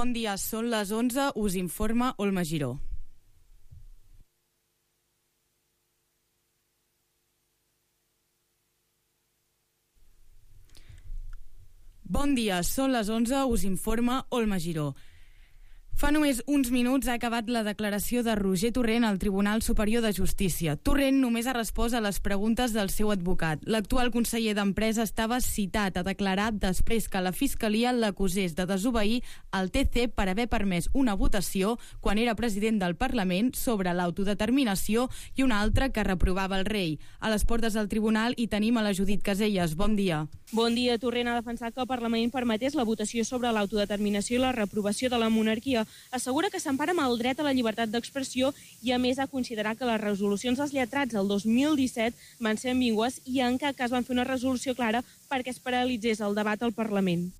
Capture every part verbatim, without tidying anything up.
Bon dia, són les onze, us informa Olma Giró. Bon dia, són les onze, us informa Olma Giró. Fa només uns minuts ha acabat la declaració de Roger Torrent al Tribunal Superior de Justícia. Torrent només ha respost a les preguntes del seu advocat. L'actual conseller d'Empresa estava citat a declarar després que la Fiscalia l'acusés de desobeir el T C per haver permès una votació quan era president del Parlament sobre l'autodeterminació i una altra que reprovava el rei. A les portes del tribunal hi tenim a la Judit Caselles. Bon dia. Bon dia. Torrent ha defensat que el Parlament permetés la votació sobre l'autodeterminació i la reprovació de la monarquia. Assegura que s'empara amb el dret a la llibertat d'expressió i a més ha considerat que les resolucions dels lletrats el dos mil disset van ser ambigües i en cap cas van fer una resolució clara perquè es paralitzés el debat al Parlament.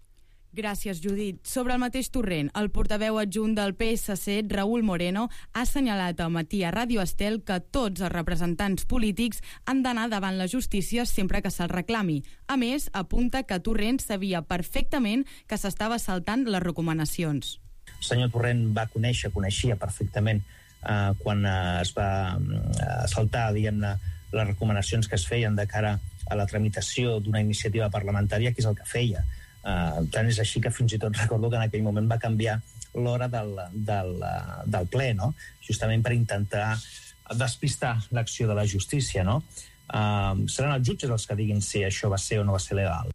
Gràcies, Judit. Sobre el mateix Torrent, el portaveu adjunt del P S C, Raúl Moreno, ha assenyalat al matí a Ràdio Estel que tots els representants polítics han d'anar davant la justícia sempre que se'l reclami. A més, apunta que Torrent sabia perfectament que s'estava saltant les recomanacions. El senyor Torrent va conèixer, coneixia perfectament eh, quan eh, es va eh, saltar, diguem-ne, les recomanacions que es feien de cara a la tramitació d'una iniciativa parlamentària, que és el que feia. Eh, tant és així que fins i tot recordo que en aquell moment va canviar l'hora del, del, del ple, no? Justament per intentar despistar l'acció de la justícia, no? Eh, seran els jutges els que diguin si això va ser o no va ser legal.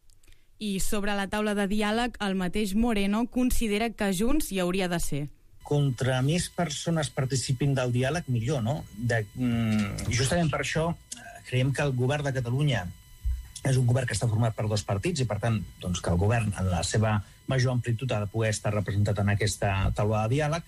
I sobre la taula de diàleg, el mateix Moreno considera que Junts hi hauria de ser. Contra més persones participin del diàleg, millor, no? De, justament per això creiem que el govern de Catalunya és un govern que està format per dos partits i, per tant, doncs, que el govern, en la seva major amplitud, ha de poder estar representat en aquesta taula de diàleg.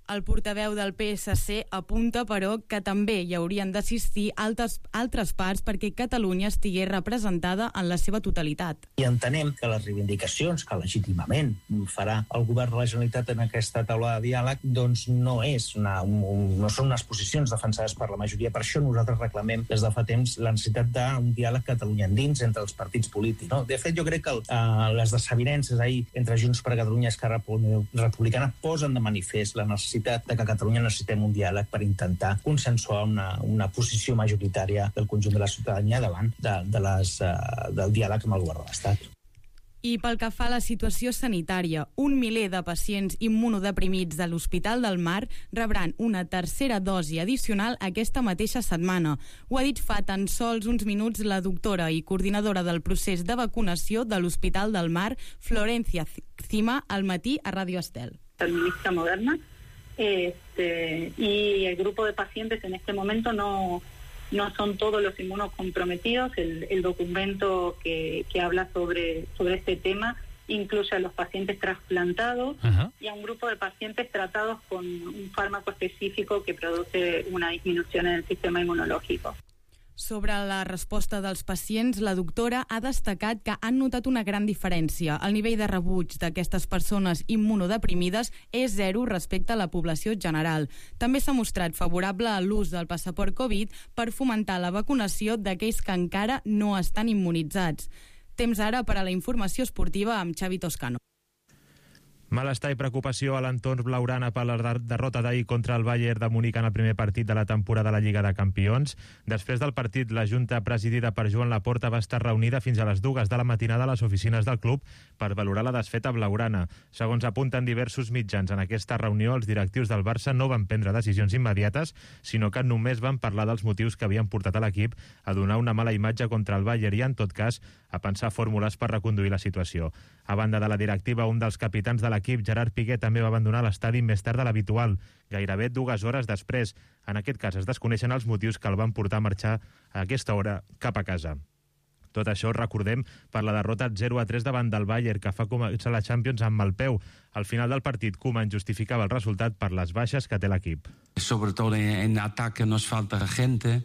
El portaveu del P S C apunta, però, que també hi haurien d'assistir altres, altres parts perquè Catalunya estigués representada en la seva totalitat. I entenem que les reivindicacions que legítimament farà el govern de la Generalitat en aquesta taula de diàleg doncs no, és una, un, no són unes posicions defensades per la majoria. Per això nosaltres reclamem des de fa temps la necessitat d'un diàleg Catalunya endins entre els partits polítics. No? De fet, jo crec que el, uh, les desavinences ahir entre Junts per Catalunya i Esquerra Republicana posen de manifest la necessitat de que a Catalunya necessitem un diàleg per intentar consensuar una, una posició majoritària del conjunt de la ciutadania davant de, de les, uh, del diàleg amb el govern de l'Estat. I pel que fa a la situació sanitària, un miler de pacients immunodeprimits de l'Hospital del Mar rebran una tercera dosi addicional aquesta mateixa setmana. Ho ha dit fa tan sols uns minuts la doctora i coordinadora del procés de vacunació de l'Hospital del Mar, Florencia Cima, al matí a Ràdio Estel. Administra Moderna. Este, y el grupo de pacientes en este momento no, no son todos los inmunocomprometidos. El, el documento que, que habla sobre, sobre este tema incluye a los pacientes trasplantados uh-huh. y a un grupo de pacientes tratados con un fármaco específico que produce una disminución en el sistema inmunológico. Sobre la resposta dels pacients, la doctora ha destacat que han notat una gran diferència. El nivell de rebuig d'aquestes persones immunodeprimides és zero respecte a la població general. També s'ha mostrat favorable a l'ús del passaport Covid per fomentar la vacunació d'aquells que encara no estan immunitzats. Temps ara per a la informació esportiva amb Xavi Toscano. Malestar i preocupació a l'entorn blaugrana per la derrota d'ahir contra el Bayern de Munic en el primer partit de la temporada de la Lliga de Campions. Després del partit, la Junta presidida per Joan Laporta va estar reunida fins a les dues de la matinada a les oficines del club per valorar la desfeta blaugrana. Segons apunten diversos mitjans, en aquesta reunió els directius del Barça no van prendre decisions immediates, sinó que només van parlar dels motius que havien portat a l'equip a donar una mala imatge contra el Bayern i, en tot cas, a pensar fórmules per reconduir la situació. A banda de la directiva, un dels capitans de l'equip, Gerard Piqué, també va abandonar l'estadi més tard de l'habitual, gairebé dues hores després. En aquest cas es desconeixen els motius que el van portar a marxar a aquesta hora cap a casa. Tot això, recordem, per la derrota zero a tres davant del Bayern, que fa començar la Champions amb mal peu. Al final del partit, Koeman justificava el resultat per les baixes que té l'equip. Sobre todo en ataque nos falta gente.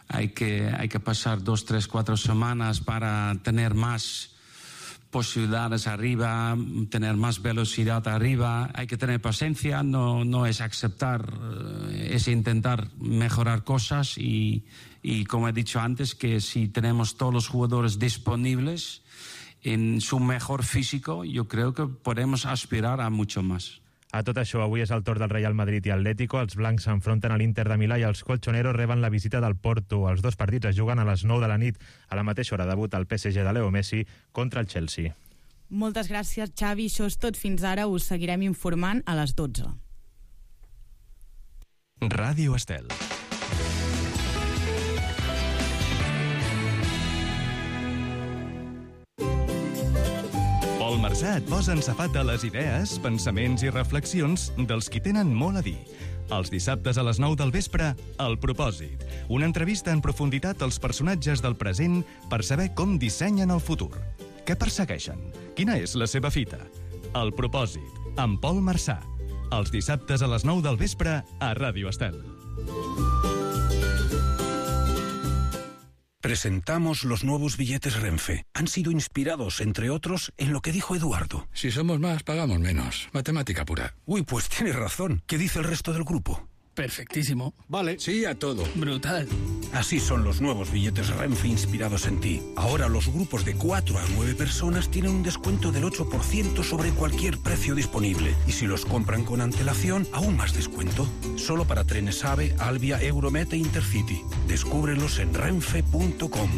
Hay que, hay que pasar dos, tres, cuatro semanas para tener más posibilidades arriba, tener más velocidad arriba. Hay que tener paciencia, no, no es aceptar, es intentar mejorar cosas y, y como he dicho antes, que si tenemos todos los jugadores disponibles en su mejor físico, yo creo que podemos aspirar a mucho más. A tot això, avui és el torn del Real Madrid i Atlético. Els blancs s'enfronten a l'Inter de Milà i els colchoneros reben la visita del Porto. Els dos partits es juguen a les nou de la nit. A la mateixa hora debut el P S G de Leo Messi contra el Chelsea. Moltes gràcies, Xavi. Això és tot fins ara. Us seguirem informant a les dotze. Ràdio Estel. Pol Marsà et posa en safata les idees, pensaments i reflexions dels qui tenen molt a dir. Els dissabtes a les nou del vespre, El Propòsit. Una entrevista en profunditat als personatges del present per saber com dissenyen el futur. Què persegueixen? Quina és la seva fita? El Propòsit, amb Pol Marsà. Els dissabtes a les nou del vespre a Ràdio Estel. Presentamos los nuevos billetes Renfe. Han sido inspirados, entre otros, en lo que dijo Eduardo. Si somos más, pagamos menos. Matemática pura. Uy, pues tienes razón. ¿Qué dice el resto del grupo? Perfectísimo. Vale, sí a todo. Brutal. Así son los nuevos billetes Renfe inspirados en ti. Ahora los grupos de cuatro a nueve personas tienen un descuento del ocho por ciento sobre cualquier precio disponible. Y si los compran con antelación, aún más descuento. Solo para trenes AVE, Alvia, Euromet e Intercity. Descúbrelos en renfe punto com.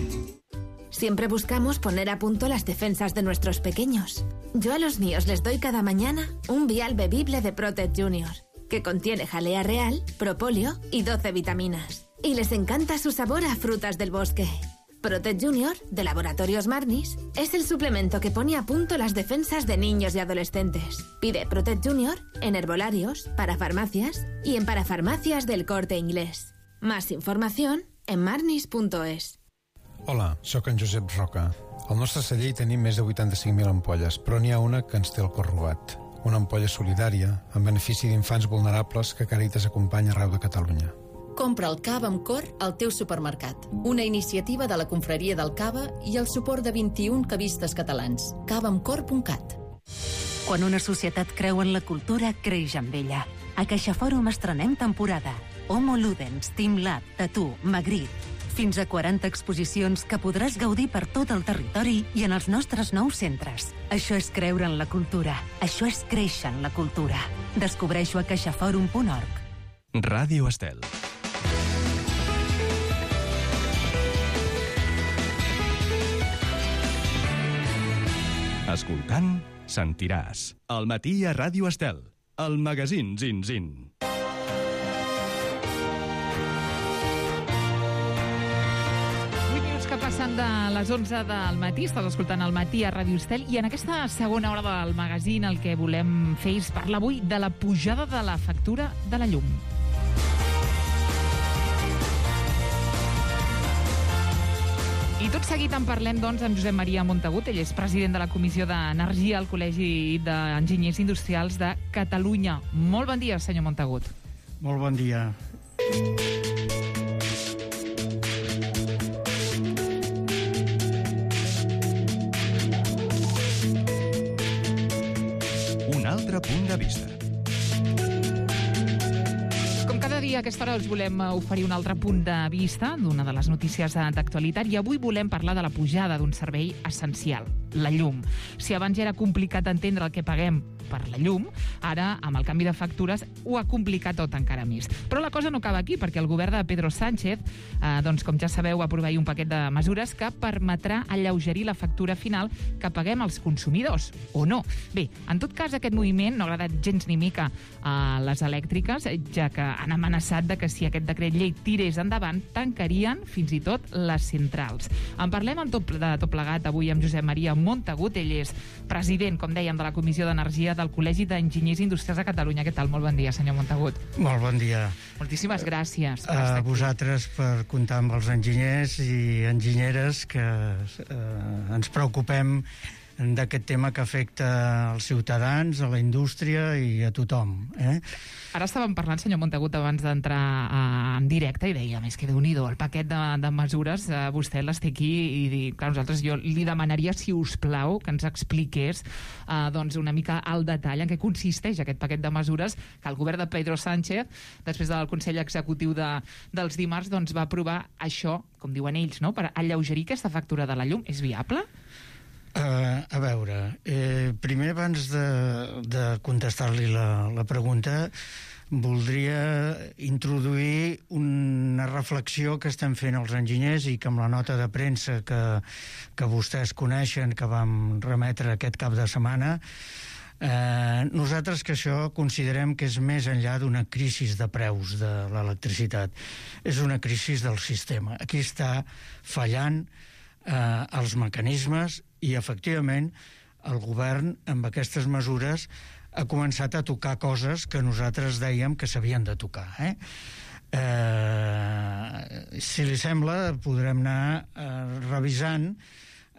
Siempre buscamos poner a punto las defensas de nuestros pequeños. Yo a los míos les doy cada mañana un vial bebible de Protect Junior, que contiene jalea real, propóleo y doce vitaminas. Y les encanta su sabor a frutas del bosque. Protect Junior, de Laboratorios Marnis, es el suplemento que pone a punto las defensas de niños y adolescentes. Pide Protect Junior en herbolarios, parafarmacias y en parafarmacias del Corte Inglés. Más información en marnis punto es. Hola, sóc en Josep Roca. Al nostre celler hi tenim més de vuitanta-cinc mil ampolles, però n'hi ha una que ens té el cor robat. Una ampolla solidària en benefici d'infants vulnerables que Càritas acompanya arreu de Catalunya. Compra el cava amb cor al teu supermercat. Una iniciativa de la Confraria del Cava i el suport de vint-i-un cavistes catalans. cava amb cor punt cat. Quan una societat creu en la cultura, creix amb ella. A CaixaFòrum estrenem temporada. Homo Ludens, Team Lab, Tattoo, Magritte. Fins a quaranta exposicions que podràs gaudir per tot el territori i en els nostres nous centres. Això és creure en la cultura. Això és créixer en la cultura. Descobreixo a caixaforum punt org. Ràdio Estel. Escoltant, sentiràs. Al matí a Ràdio Estel. El magazín Zin Zin. Que passen de les onze del matí, estàs escoltant el matí a Ràdio Estel, i en aquesta segona hora del magazín el que volem fer és parlar avui de la pujada de la factura de la llum. I tot seguit en parlem, doncs, amb Josep Maria Montagut. Ell és president de la Comissió d'Energia al Col·legi d'Enginyers Industrials de Catalunya. Molt bon dia, senyor Montagut. Molt bon dia. Un altre punt de vista. Com cada dia a aquesta hora us volem oferir un altre punt de vista d'una de les notícies d'actualitat i avui volem parlar de la pujada d'un servei essencial, la llum. Si abans ja era complicat entendre el que paguem per la llum, ara, amb el canvi de factures, ho ha complicat tot encara més. Però la cosa no acaba aquí, perquè el govern de Pedro Sánchez, eh, doncs, com ja sabeu, va aprovar un paquet de mesures que permetrà alleugerir la factura final que paguem els consumidors, o no. Bé, en tot cas, aquest moviment no ha agradat gens ni mica a les elèctriques, ja que han amenaçat de que si aquest decret llei tirés endavant, tancarien fins i tot les centrals. En parlem amb tot, de tot plegat avui amb Josep Maria Montagut. Ell és president, com dèiem, de la Comissió d'Energia del Col·legi d'Enginyers Industrials de Catalunya. Què tal? Molt bon dia, senyor Montagut. Molt bon dia. Moltíssimes gràcies. A vosaltres per comptar amb els enginyers i enginyeres que eh, ens preocupem d'aquest tema que afecta als ciutadans, a la indústria i a tothom. Eh? Ara estàvem parlant, senyor Montagut, abans d'entrar en directe i deia, més que Déu-n'hi-do, el paquet de, de mesures, eh, vostè les té aquí i clar, nosaltres jo li demanaria, si us plau, que ens expliqués eh, doncs una mica al detall en què consisteix aquest paquet de mesures que el govern de Pedro Sánchez, després del Consell Executiu de, dels dimarts, doncs va aprovar això, com diuen ells, no?, per alleugerir aquesta factura de la llum. És viable? Uh, a veure, eh, primer abans de, de contestar-li la, la pregunta, voldria introduir una reflexió que estem fent els enginyers i que amb la nota de premsa que, que vostès coneixen, que vam remetre aquest cap de setmana, eh, nosaltres que això considerem que és més enllà d'una crisi de preus de l'electricitat. És una crisi del sistema. Aquí està fallant eh, els mecanismes i, efectivament, el govern, amb aquestes mesures, ha començat a tocar coses que nosaltres dèiem que s'havien de tocar. Eh? Eh, si li sembla, podrem anar eh, revisant...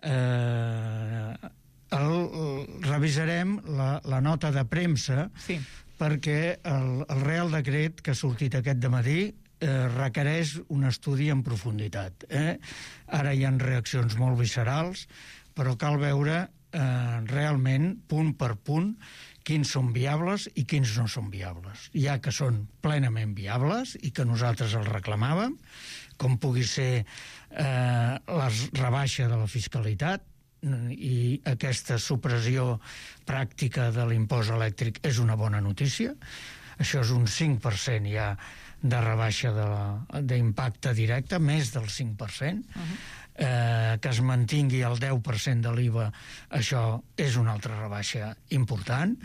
Eh, el, el, revisarem la, la nota de premsa, sí, perquè el, el Real Decret que ha sortit aquest dematí eh, requereix un estudi en profunditat. Eh? Ara hi ha reaccions molt viscerals, però cal veure eh, realment, punt per punt, quins són viables i quins no són viables. Hi ha que són plenament viables i que nosaltres els reclamàvem, com pugui ser eh, la rebaixa de la fiscalitat, i aquesta supressió pràctica de l'impost elèctric és una bona notícia. Això és un cinc per cent ja de rebaixa d'impacte directe, més del cinc per cent. Uh-huh. eh, que es mantingui el deu per cent de l'I V A, això és una altra rebaixa important.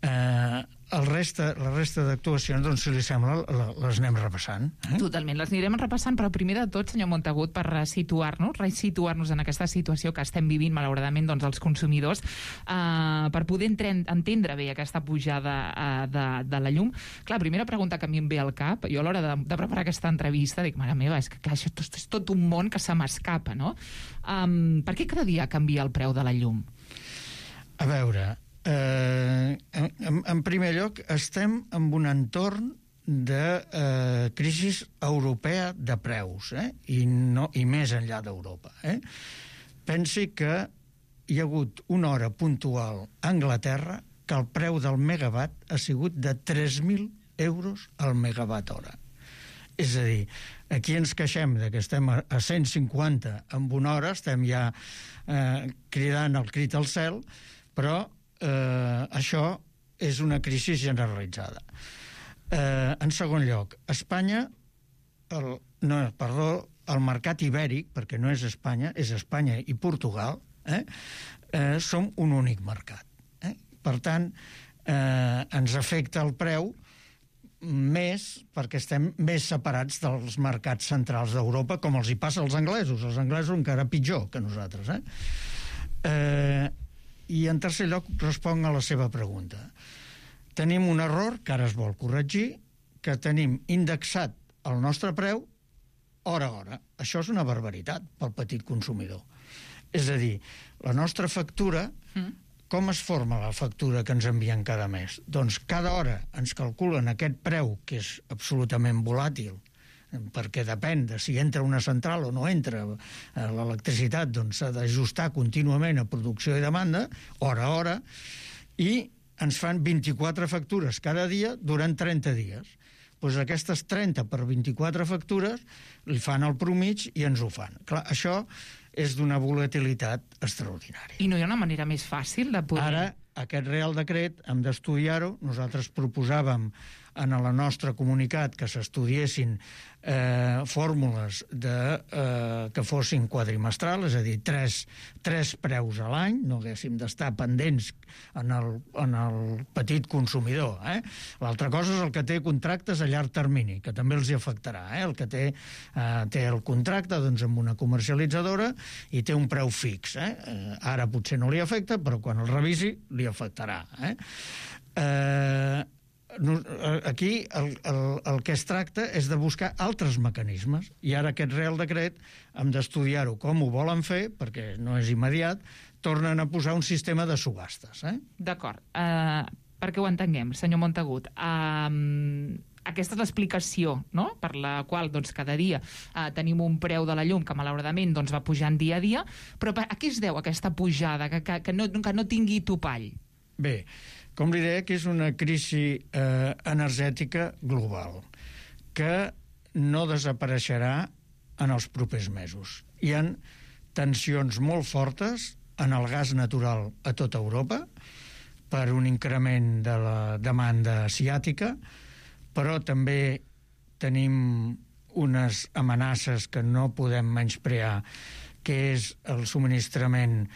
Eh, el resta, la resta d'actuacions, doncs, si li sembla, les anem repassant. Eh? Totalment, les anirem repassant, però primer de tot, senyor Montagut, per resituar-nos, resituar-nos en aquesta situació que estem vivint, malauradament, doncs, els consumidors, eh, per poder entendre bé aquesta pujada eh, de, de la llum. Clar, primera pregunta que a mi em ve al cap, jo a l'hora de, de preparar aquesta entrevista, dic, mare meva, és que, que això és tot un món que se m'escapa, no? Um, per què cada dia canvia el preu de la llum? A veure... Eh, en, en primer lloc, estem en un entorn de eh, crisi europea de preus, eh? I, no, i més enllà d'Europa. Eh? Pensi que hi ha hagut una hora puntual a Anglaterra que el preu del megawatt ha sigut de tres mil euros al megawatt hora. És a dir, aquí ens queixem de que estem a cent cinquanta en una hora, estem ja eh, cridant el crit al cel, però Eh, això és una crisi generalitzada. Eh, en segon lloc, Espanya, el, no, perdó, el mercat ibèric, perquè no és Espanya, és Espanya i Portugal, eh, eh, som un únic mercat. Eh? Per tant, eh, ens afecta el preu més perquè estem més separats dels mercats centrals d'Europa, com els hi passa als anglesos. Els anglesos encara pitjor que nosaltres. Eh? Eh, I en tercer lloc responc a la seva pregunta. Tenim un error que ara es vol corregir, que tenim indexat el nostre preu hora a hora. Això és una barbaritat pel petit consumidor. És a dir, la nostra factura, com es forma la factura que ens envien cada mes? Doncs cada hora ens calculen aquest preu, que és absolutament volàtil, perquè depèn de si entra una central o no entra l'electricitat, doncs s'ha d'ajustar contínuament a producció i demanda, hora a hora, i ens fan vint-i-quatre factures cada dia durant trenta dies. Doncs aquestes trenta per vint-i-quatre factures li fan el promig i ens ho fan. Clar, això és d'una volatilitat extraordinària. I no hi ha una manera més fàcil de poder... Ara, aquest Real Decret hem d'estudiar-ho. Nosaltres proposàvem en el nostre comunicat que s'estudiessin eh, fórmules de, eh, que fossin quadrimestrals, és a dir, tres, tres preus a l'any, no haguéssim d'estar pendents en el, en el petit consumidor. Eh? L'altra cosa és el que té contractes a llarg termini, que també els hi afectarà. Eh? El que té, eh, té el contracte doncs, amb una comercialitzadora i té un preu fix. Eh? Eh, ara potser no li afecta, però quan el revisi li afectarà. Eh? Eh, aquí el, el, el que es tracta és de buscar altres mecanismes, i ara aquest Real Decret hem d'estudiar-ho com ho volen fer, perquè no és immediat, tornen a posar un sistema de subhastes. Eh? D'acord. Uh, perquè ho entenguem, senyor Montagut, uh, aquesta és l'explicació, no?, per la qual doncs, cada dia uh, tenim un preu de la llum que malauradament doncs, va pujant dia a dia, però a què es deu aquesta pujada, que, que, que, no, que no tingui topall? Bé, com li deia, que és una crisi eh, energètica global que no desapareixerà en els propers mesos. Hi ha tensions molt fortes en el gas natural a tota Europa per un increment de la demanda asiàtica, però també tenim unes amenaces que no podem menysprear, que és el subministrament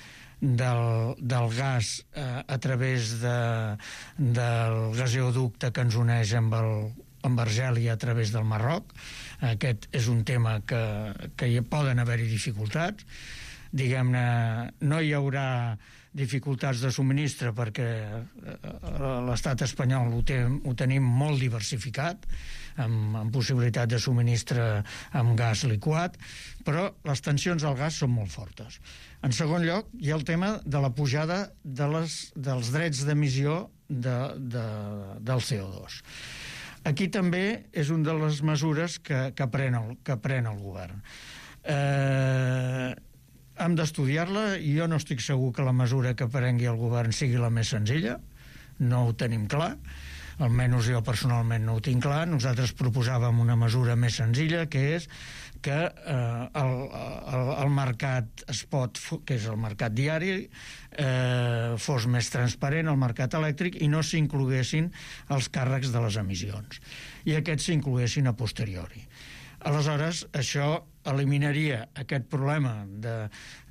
del, del gas eh, a través de, del gasoducte que ens uneix amb, el, amb Argèlia a través del Marroc. Aquest és un tema que, que hi poden haver-hi dificultats. Diguem-ne, no hi haurà dificultats de subministre perquè l'estat espanyol ho, té, ho tenim molt diversificat, amb, amb possibilitat de subministre amb gas liquat, però les tensions al gas són molt fortes. En segon lloc, hi ha el tema de la pujada de les, dels drets d'emissió de, de, del C O dos. Aquí també és una de les mesures que, que, pren, el, que pren el govern. Eh... Hem d'estudiar-la i jo no estic segur que la mesura que prengui el govern sigui la més senzilla, no ho tenim clar, almenys jo personalment no ho tinc clar. Nosaltres proposàvem una mesura més senzilla, que és que eh, el, el, el mercat spot, que és el mercat diari, eh, fos més transparent, el mercat elèctric, i no s'incloguessin els càrrecs de les emissions, i aquests s'incloguessin a posteriori. Aleshores, això eliminaria aquest problema de,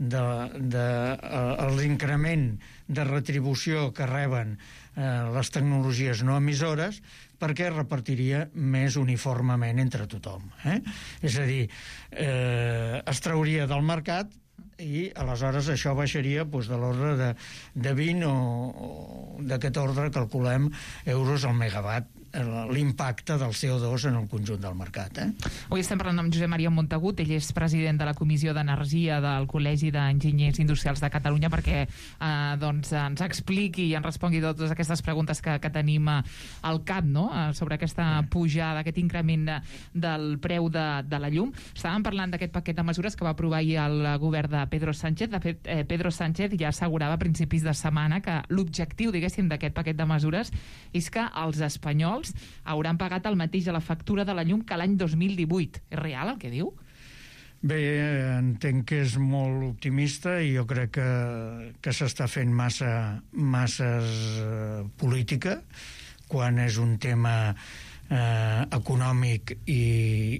de, de, de l'increment de retribució que reben eh, les tecnologies no emissores, perquè es repartiria més uniformement entre tothom. Eh? És a dir, eh, es trauria del mercat i aleshores això baixaria doncs, de l'ordre de, de vint o, o d'aquest ordre calculem euros al megawatt, l'impacte del C O dos en el conjunt del mercat. Eh? Avui estem parlant amb Josep Maria Montagut, ell és president de la Comissió d'Energia del Col·legi d'Enginyers Industrials de Catalunya, perquè eh, doncs, ens expliqui i ens respongui totes aquestes preguntes que, que tenim al cap, no? Sobre aquesta pujada, aquest increment de, del preu de, de la llum. Estàvem parlant d'aquest paquet de mesures que va aprovar ahir el govern de Pedro Sánchez. De fet, eh, Pedro Sánchez ja assegurava a principis de setmana que l'objectiu, diguéssim, d'aquest paquet de mesures és que els espanyols hauran pagat el mateix a la factura de la llum que l'any dos mil divuit. És real el que diu? Bé, entenc que és molt optimista i jo crec que, que s'està fent massa masses eh, política quan és un tema eh, econòmic i,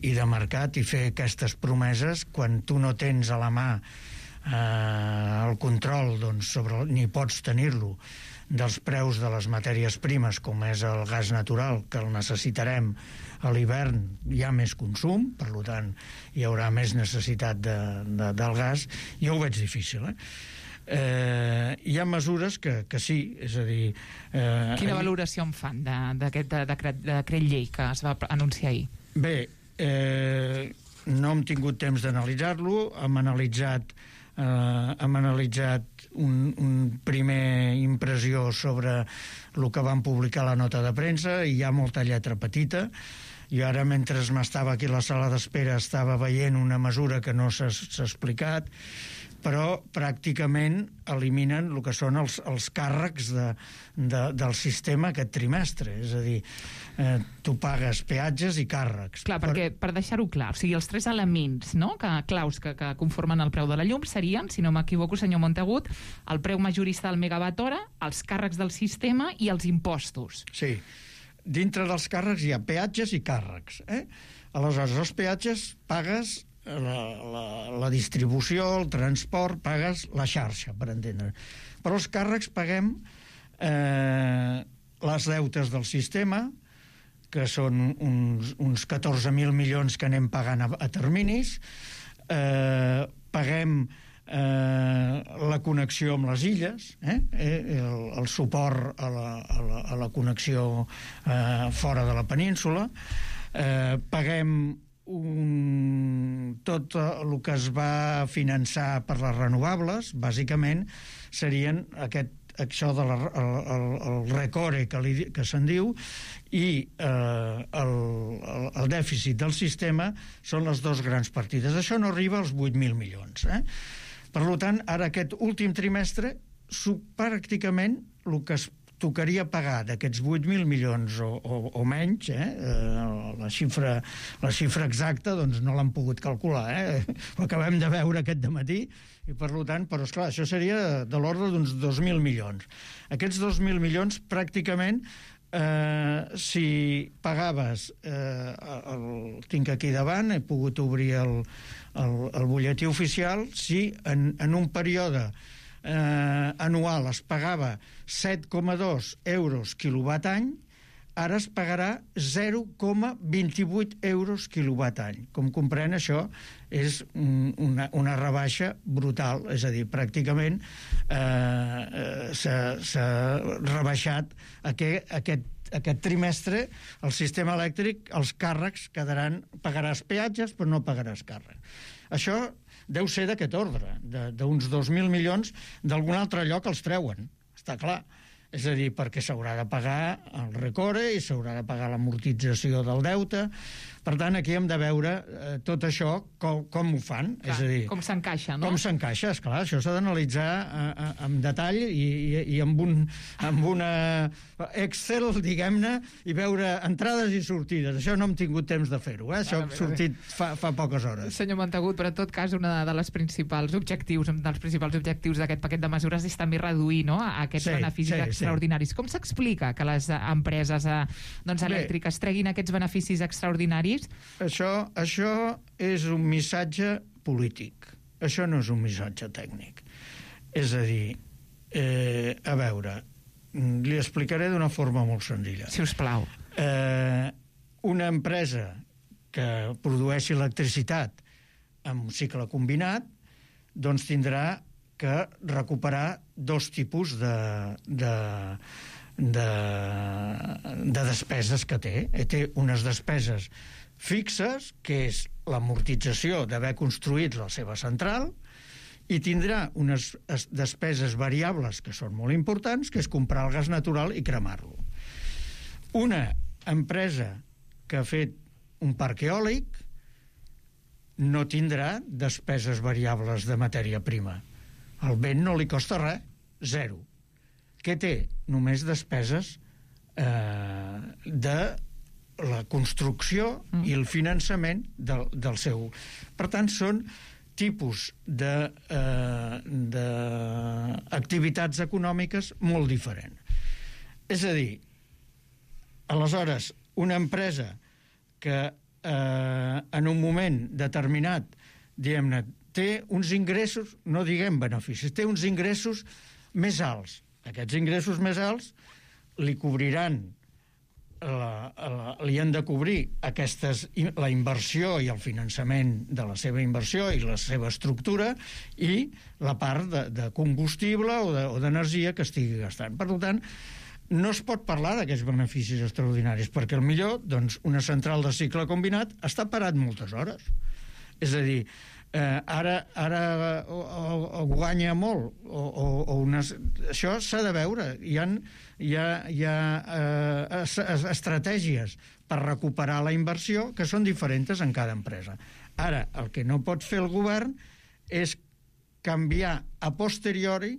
i de mercat, i fer aquestes promeses quan tu no tens a la mà eh, el control, doncs, sobre, ni pots tenir-lo, dels preus de les matèries primes, com és el gas natural, que el necessitarem a l'hivern, hi ha més consum, per tant hi haurà més necessitat de, de, del gas. Jo ho veig difícil, eh? Eh, hi ha mesures que, que sí, és a dir... Eh, Quina valoració en fan d'aquest decret, decret llei que es va anunciar ahir? Bé, eh, no hem tingut temps d'analitzar-lo, hem analitzat eh, hem analitzat un, un primer impressió sobre el que van publicar a la nota de premsa, i hi ha molta lletra petita. I ara, mentre m'estava aquí a la sala d'espera, estava veient una mesura que no s'ha explicat, però pràcticament eliminen el que són els, els càrrecs de, de, del sistema aquest trimestre. És a dir, eh, tu pagues peatges i càrrecs. Clar, perquè, per deixar-ho clar, o sigui, els tres elements, no?, que, claus que, que conformen el preu de la llum serien, si no m'equivoco, senyor Montagut, el preu majorista del megawatt hora, els càrrecs del sistema i els impostos. Sí. Dintre dels càrrecs hi ha peatges i càrrecs. Eh? Aleshores, els peatges pagues La, la, la distribució, el transport, pagues la xarxa, per entendre. Però els càrrecs paguem eh, les deutes del sistema, que són uns, uns catorze mil milions que anem pagant a, a terminis, eh, paguem eh, la connexió amb les illes, eh? Eh, el, el suport a la, a la, a la connexió eh, fora de la península, eh, paguem Un, tot el que es va finançar per les renovables, bàsicament, serien aquest, això de la, el, el, el recore que, li, que se'n diu, i eh, el, el, el dèficit del sistema són les dues grans partides. Això no arriba als vuit mil milions. Eh? Per tant, ara aquest últim trimestre, pràcticament el que es tocaria pagar d'aquests vuit mil milions o, o, o menys, eh? la, xifra, la xifra exacta doncs no l'han pogut calcular, eh? Ho acabem de veure aquest dematí, i per tant, però esclar, això seria de l'ordre d'uns dos mil milions. Aquests dos mil milions pràcticament eh, si pagaves, eh, el, tinc aquí davant, he pogut obrir el, el, el butlletí oficial, si en, en un període Eh, anual es pagava set coma dos euros quilowatt any, ara es pagarà zero coma vint-i-vuit euros quilowatt any. Com comprèn, això és una, una rebaixa brutal, és a dir, pràcticament eh, s'ha rebaixat aquest, aquest, aquest trimestre el sistema elèctric, els càrrecs quedaran, pagaràs peatges però no pagaràs càrrecs. Això deu ser d'aquest ordre, d'uns dos mil milions, d'algun altre lloc els treuen, està clar. És a dir, perquè s'haurà de pagar el recore i s'haurà de pagar l'amortització del deute. Per tant, aquí hem de veure eh, tot això, com, com ho fan. Clar, és a dir, com s'encaixa, no? Com s'encaixa, esclar, això s'ha d'analitzar eh, en detall i, i, i amb, un, amb una Excel, diguem-ne, i veure entrades i sortides. Això no hem tingut temps de fer-ho, eh? Això ha sortit fa, fa poques hores. Senyor Montagut, però en tot cas, una de les principals objectius, dels principals objectius d'aquest paquet de mesures és també reduir, no?, aquests sí, beneficis sí, extraordinaris. Sí. Com s'explica que les empreses eh, doncs, elèctriques treguin aquests beneficis extraordinaris? Això, això és un missatge polític. Això no és un missatge tècnic. És a dir, eh, a veure, li explicaré d'una forma molt senzilla. Si us plau. Eh, una empresa que produeixi electricitat amb un cicle combinat, doncs tindrà que recuperar dos tipus de, de, de, de despeses que té. Té unes despeses fixes, que és l'amortització d'haver construït la seva central, i tindrà unes despeses variables que són molt importants, que és comprar el gas natural i cremar-lo. Una empresa que ha fet un parc eòlic no tindrà despeses variables de matèria prima. El vent no li costa res, zero. Què té? Només despeses eh, de la construcció mm. i el finançament del, del seu. Per tant, són tipus de, eh, de activitats econòmiques molt diferents. És a dir, aleshores, una empresa que eh, en un moment determinat, diguem-ne, té uns ingressos, no diguem beneficis, té uns ingressos més alts. Aquests ingressos més alts li cobriran La, la, li han de cobrir aquestes, la inversió i el finançament de la seva inversió i la seva estructura i la part de, de combustible o d'energia de, que estigui gastant. Per tant, no es pot parlar d'aquests beneficis extraordinaris, perquè millor doncs, una central de cicle combinat està parat moltes hores. És a dir, eh, ara, ara o, o, o guanya molt, o, o, o unes... això s'ha de veure. Hi ha, hi ha, hi ha eh, estratègies per recuperar la inversió que són diferents en cada empresa. Ara, el que no pot fer el govern és canviar a posteriori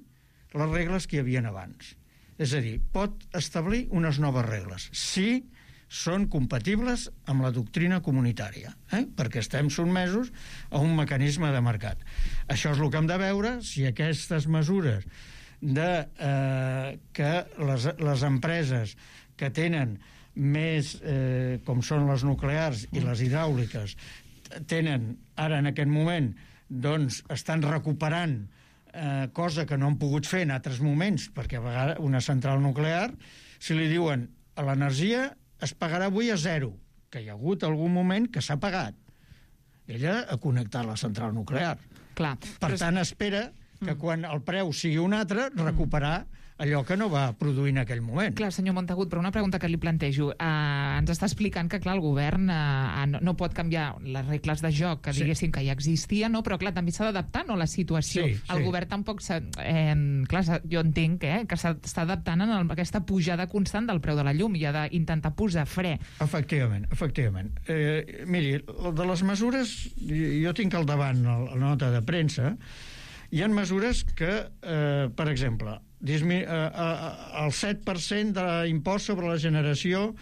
les regles que hi havia abans. És a dir, pot establir unes noves regles, si són compatibles amb la doctrina comunitària, eh? perquè estem sotmesos a un mecanisme de mercat. Això és el que hem de veure, si aquestes mesures de eh, que les, les empreses que tenen més, eh, com són les nuclears i les hidràuliques, tenen ara en aquest moment, doncs estan recuperant eh, cosa que no han pogut fer en altres moments, perquè a vegades una central nuclear, si li diuen a l'energia es pagarà avui a zero, que hi ha hagut algun moment que s'ha pagat. Ella ha connectat la central nuclear. Clar, per però... tant, espera que mm. quan el preu sigui un altre, recuperar allò que no va produir en aquell moment. Clar, senyor Montagut, però una pregunta que li plantejo. Uh, ens està explicant que, clar, el govern uh, no, no pot canviar les regles de joc que sí. diguéssim que ja existien, no? Però, clar, també s'ha d'adaptar, no?, a la situació. Sí, el sí. govern tampoc s'ha... Eh, clar, jo entenc eh, que s'està adaptant a aquesta pujada constant del preu de la llum i ha d'intentar posar fre. Efectivament, efectivament. Eh, miri, de les mesures, jo tinc al davant la nota de premsa, hi ha mesures que, eh, per exemple, dismi- eh, eh, el set per cent d'impost sobre la generació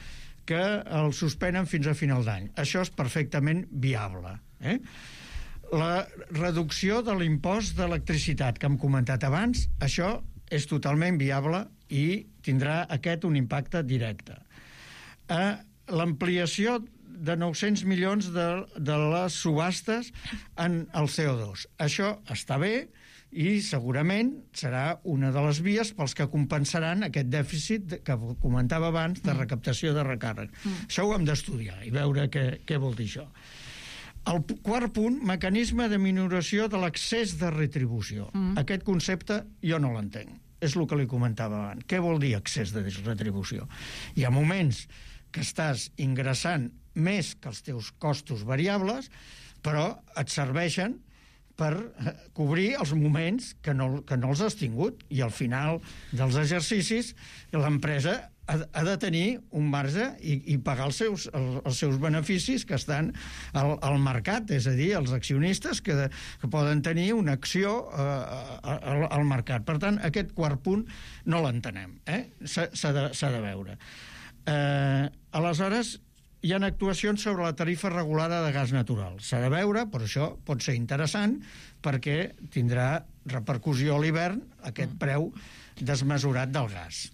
que el suspenen fins a final d'any. Això és perfectament viable. Eh? La reducció de l'impost d'electricitat que hem comentat abans, això és totalment viable i tindrà aquest un impacte directe. Eh, l'ampliació de nou-cents milions de, de les subhastes en el C O dos. Això està bé i segurament serà una de les vies pels que compensaran aquest dèficit que comentava abans de recaptació de recàrrec. Mm. Això ho hem d'estudiar i veure què, què vol dir això. El quart punt, mecanisme de minoració de l'accés de retribució. Mm. Aquest concepte jo no l'entenc. És el que li comentava abans. Què vol dir accés de retribució? Hi ha moments que estàs ingressant més que els teus costos variables, però et serveixen per cobrir els moments que no, que no els has tingut, i al final dels exercicis l'empresa ha, ha de tenir un marge i, i pagar els seus, els, els seus beneficis que estan al, al mercat, és a dir, els accionistes que, de, que poden tenir una acció eh, al, al mercat. Per tant, aquest quart punt no l'entenem, eh? S'ha, s'ha, de, s'ha de veure. Eh, aleshores, hi ha actuacions sobre la tarifa regulada de gas natural. S'ha de veure, però això pot ser interessant perquè tindrà repercussió a l'hivern aquest preu desmesurat del gas.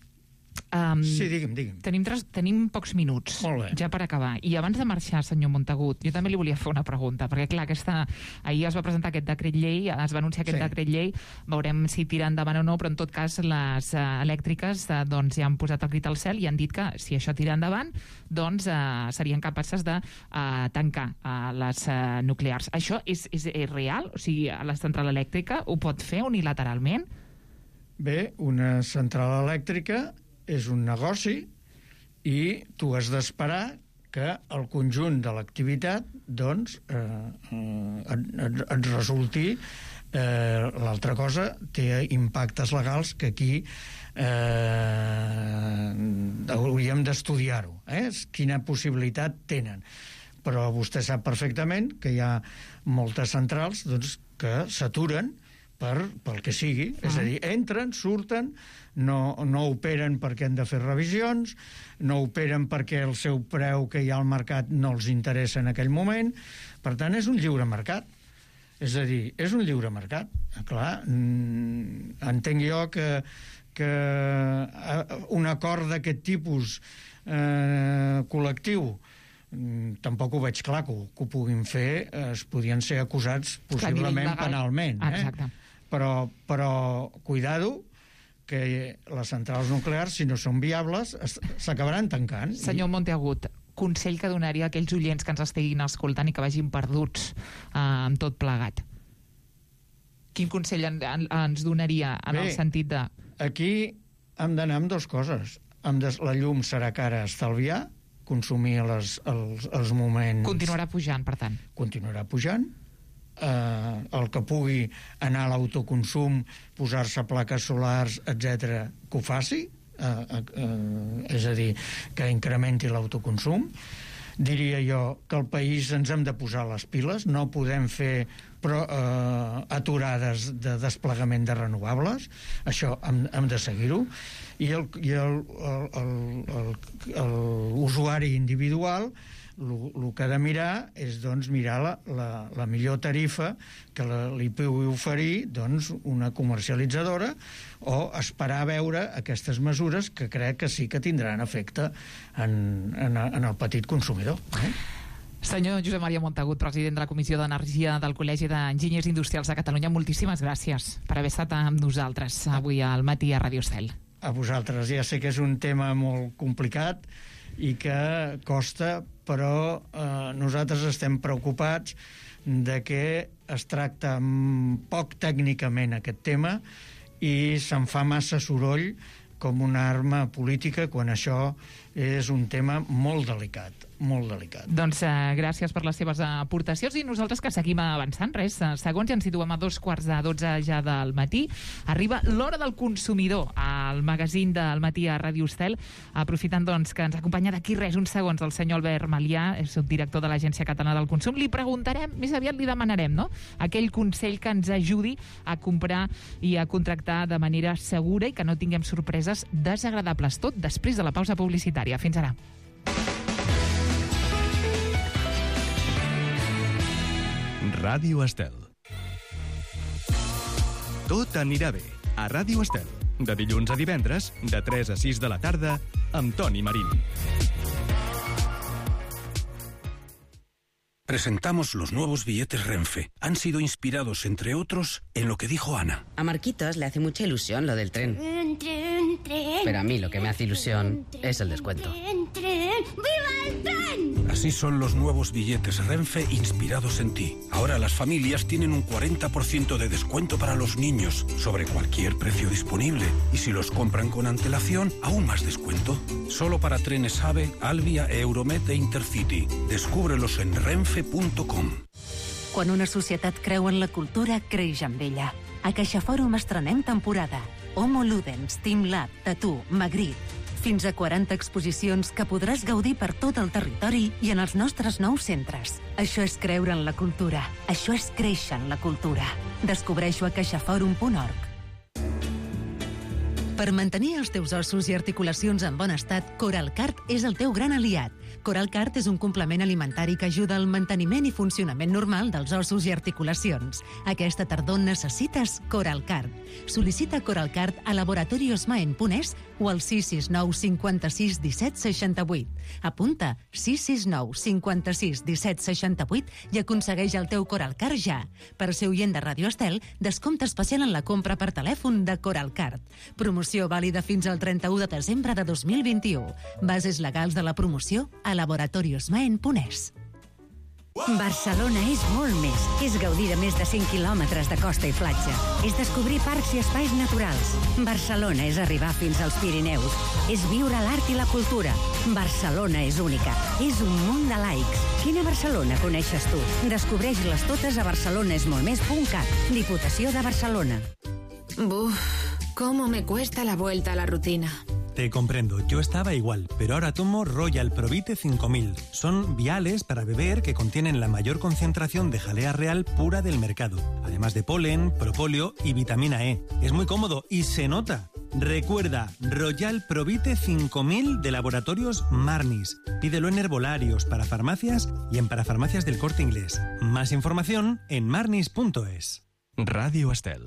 Um, sí, digui'm, digui'm. Tenim, tres, tenim pocs minuts, ja per acabar. I abans de marxar, senyor Montagut, jo també li volia fer una pregunta, perquè clar, aquesta, ahir es va presentar aquest decret llei, es va anunciar aquest sí. decret llei, veurem si tira endavant o no, però en tot cas les uh, elèctriques uh, doncs, ja han posat el crit al cel i han dit que si això tira endavant, doncs uh, serien capaces de uh, tancar uh, les uh, nuclears. Això és, és, és real? O sigui, la central elèctrica ho pot fer unilateralment? Bé, una central elèctrica és un negoci i tu has d'esperar que el conjunt de l'activitat doncs, eh, eh, et, et, et resulti. Eh, l'altra cosa té impactes legals que aquí eh, hauríem d'estudiar-ho, eh? Quina possibilitat tenen. Però vostè sap perfectament que hi ha moltes centrals doncs, que s'aturen per, pel que sigui, ah. és a dir, entren, surten, no, no operen perquè han de fer revisions, no operen perquè el seu preu que hi ha al mercat no els interessa en aquell moment. Per tant, és un lliure mercat. És a dir, és un lliure mercat. Clar, entenc jo que, que un acord d'aquest tipus eh, col·lectiu tampoc ho veig clar que ho, que ho puguin fer, es podien ser acusats possiblement penalment. Eh? Exacte. Però, però cuidado, que les centrals nuclears, si no són viables, s'acabaran tancant. Senyor Montagut, consell que donaria a aquells oients que ens estiguin escoltant i que vagin perduts eh, amb tot plegat? Quin consell en, en, ens donaria en Bé, el sentit de... Aquí hem d'anar amb dues coses. De, la llum serà cara a estalviar, consumir les, els, els moments... Continuarà pujant, per tant. Continuarà pujant. Eh, el que pugui anar a l'autoconsum, posar-se plaques solars, etcètera, que ho faci, eh, eh, és a dir, que incrementi l'autoconsum. Diria jo que al país ens hem de posar les piles, no podem fer però, eh, aturades de desplegament de renovables, això hem, hem de seguir-ho, i el, i el, el, el, el, el usuari individual el que ha de mirar és doncs, mirar la, la, la millor tarifa que la, li pugui oferir doncs, una comercialitzadora, o esperar a veure aquestes mesures que crec que sí que tindran efecte en, en, en el petit consumidor. Eh? Senyor Josep Maria Montagut, president de la Comissió d'Energia del Col·legi d'Enginyers Industrials de Catalunya, moltíssimes gràcies per haver estat amb nosaltres avui al matí a Radio Estel. A vosaltres. Ja sé que és un tema molt complicat i que costa, però eh, nosaltres estem preocupats de que es tracta poc tècnicament aquest tema i se'n fa massa soroll com una arma política, quan això és un tema molt delicat, molt delicat. Doncs eh, gràcies per les seves aportacions i nosaltres que seguim avançant. Res, segons ja ens situem a dos quarts de dotze ja del matí. Arriba l'hora del consumidor al magazín del matí a Ràdio Estel, aprofitant doncs que ens acompanya d'aquí res, uns segons, el senyor Albert Malià, és subdirector de l'Agència Catalana del Consum. Li preguntarem, més aviat li demanarem, no?, aquell consell que ens ajudi a comprar i a contractar de manera segura i que no tinguem sorpreses desagradables. Tot després de la pausa publicitària. Fins ara. Ràdio Estel. Tot anirà bé a Ràdio Estel. De dilluns a divendres, de tres a sis de la tarda, amb Toni Marín. Presentamos los nuevos billetes Renfe. Han sido inspirados, entre otros, en lo que dijo Ana. A Marquitos le hace mucha ilusión lo del tren. Tren, tren, tren. Pero a mí lo que me hace ilusión es el descuento. Tren, tren. ¡Viva el tren! Así son los nuevos billetes Renfe inspirados en ti. Ahora las familias tienen un cuarenta por ciento de descuento para los niños sobre cualquier precio disponible. Y si los compran con antelación, aún más descuento. Solo para trenes AVE, Alvia, Euromed e Intercity. Descúbrelos en renfe punt com. Quan una societat creu en la cultura, creix amb ella. A CaixaFòrum estrenem temporada. Homo Ludens, Teamlab, Tatú, Magritte. Fins a quaranta exposicions que podràs gaudir per tot el territori i en els nostres nous centres. Això és creure en la cultura. Això és créixer en la cultura. Descobreix-ho a caixaforum punt org. Per mantenir els teus ossos i articulacions en bon estat, Coralcart és el teu gran aliat. Coralcart és un complement alimentari que ajuda al manteniment i funcionament normal dels ossos i articulacions. Aquesta tardor necessites Coralcart. Sol·licita Coralcart a laboratoriosmaen punt es o al sis sis nou cinquanta-sis disset seixanta-vuit. Apunta sis sis nou cinquanta-sis disset seixanta-vuit i aconsegueix el teu Coralcart ja. Per ser oient de Ràdio Estel, descompte especial en la compra per telèfon de Coralcart. Promoció vàlida fins al trenta-u de desembre de dos mil vint-i-u. Bases legals de la promoció a laboratoriosmaen punt es. Barcelona és molt més. És gaudir de més de cinc quilòmetres de costa i platja. És descobrir parcs i espais naturals. Barcelona és arribar fins als Pirineus. És viure l'art i la cultura. Barcelona és única. És un munt de laics. Quina Barcelona coneixes tu? Descobreix-les totes a barcelonesmoltmés punt cat. Diputació de Barcelona. Buf, cómo me cuesta la vuelta a la rutina. Te comprendo, yo estaba igual, pero ahora tomo Royal Provite cinco mil. Son viales para beber que contienen la mayor concentración de jalea real pura del mercado, además de polen, propóleo y vitamina E. Es muy cómodo y se nota. Recuerda, Royal Provite cinco mil de Laboratorios Marnis. Pídelo en herbolarios, para farmacias y en parafarmacias del Corte Inglés. Más información en marnis punto es. Ràdio Estel.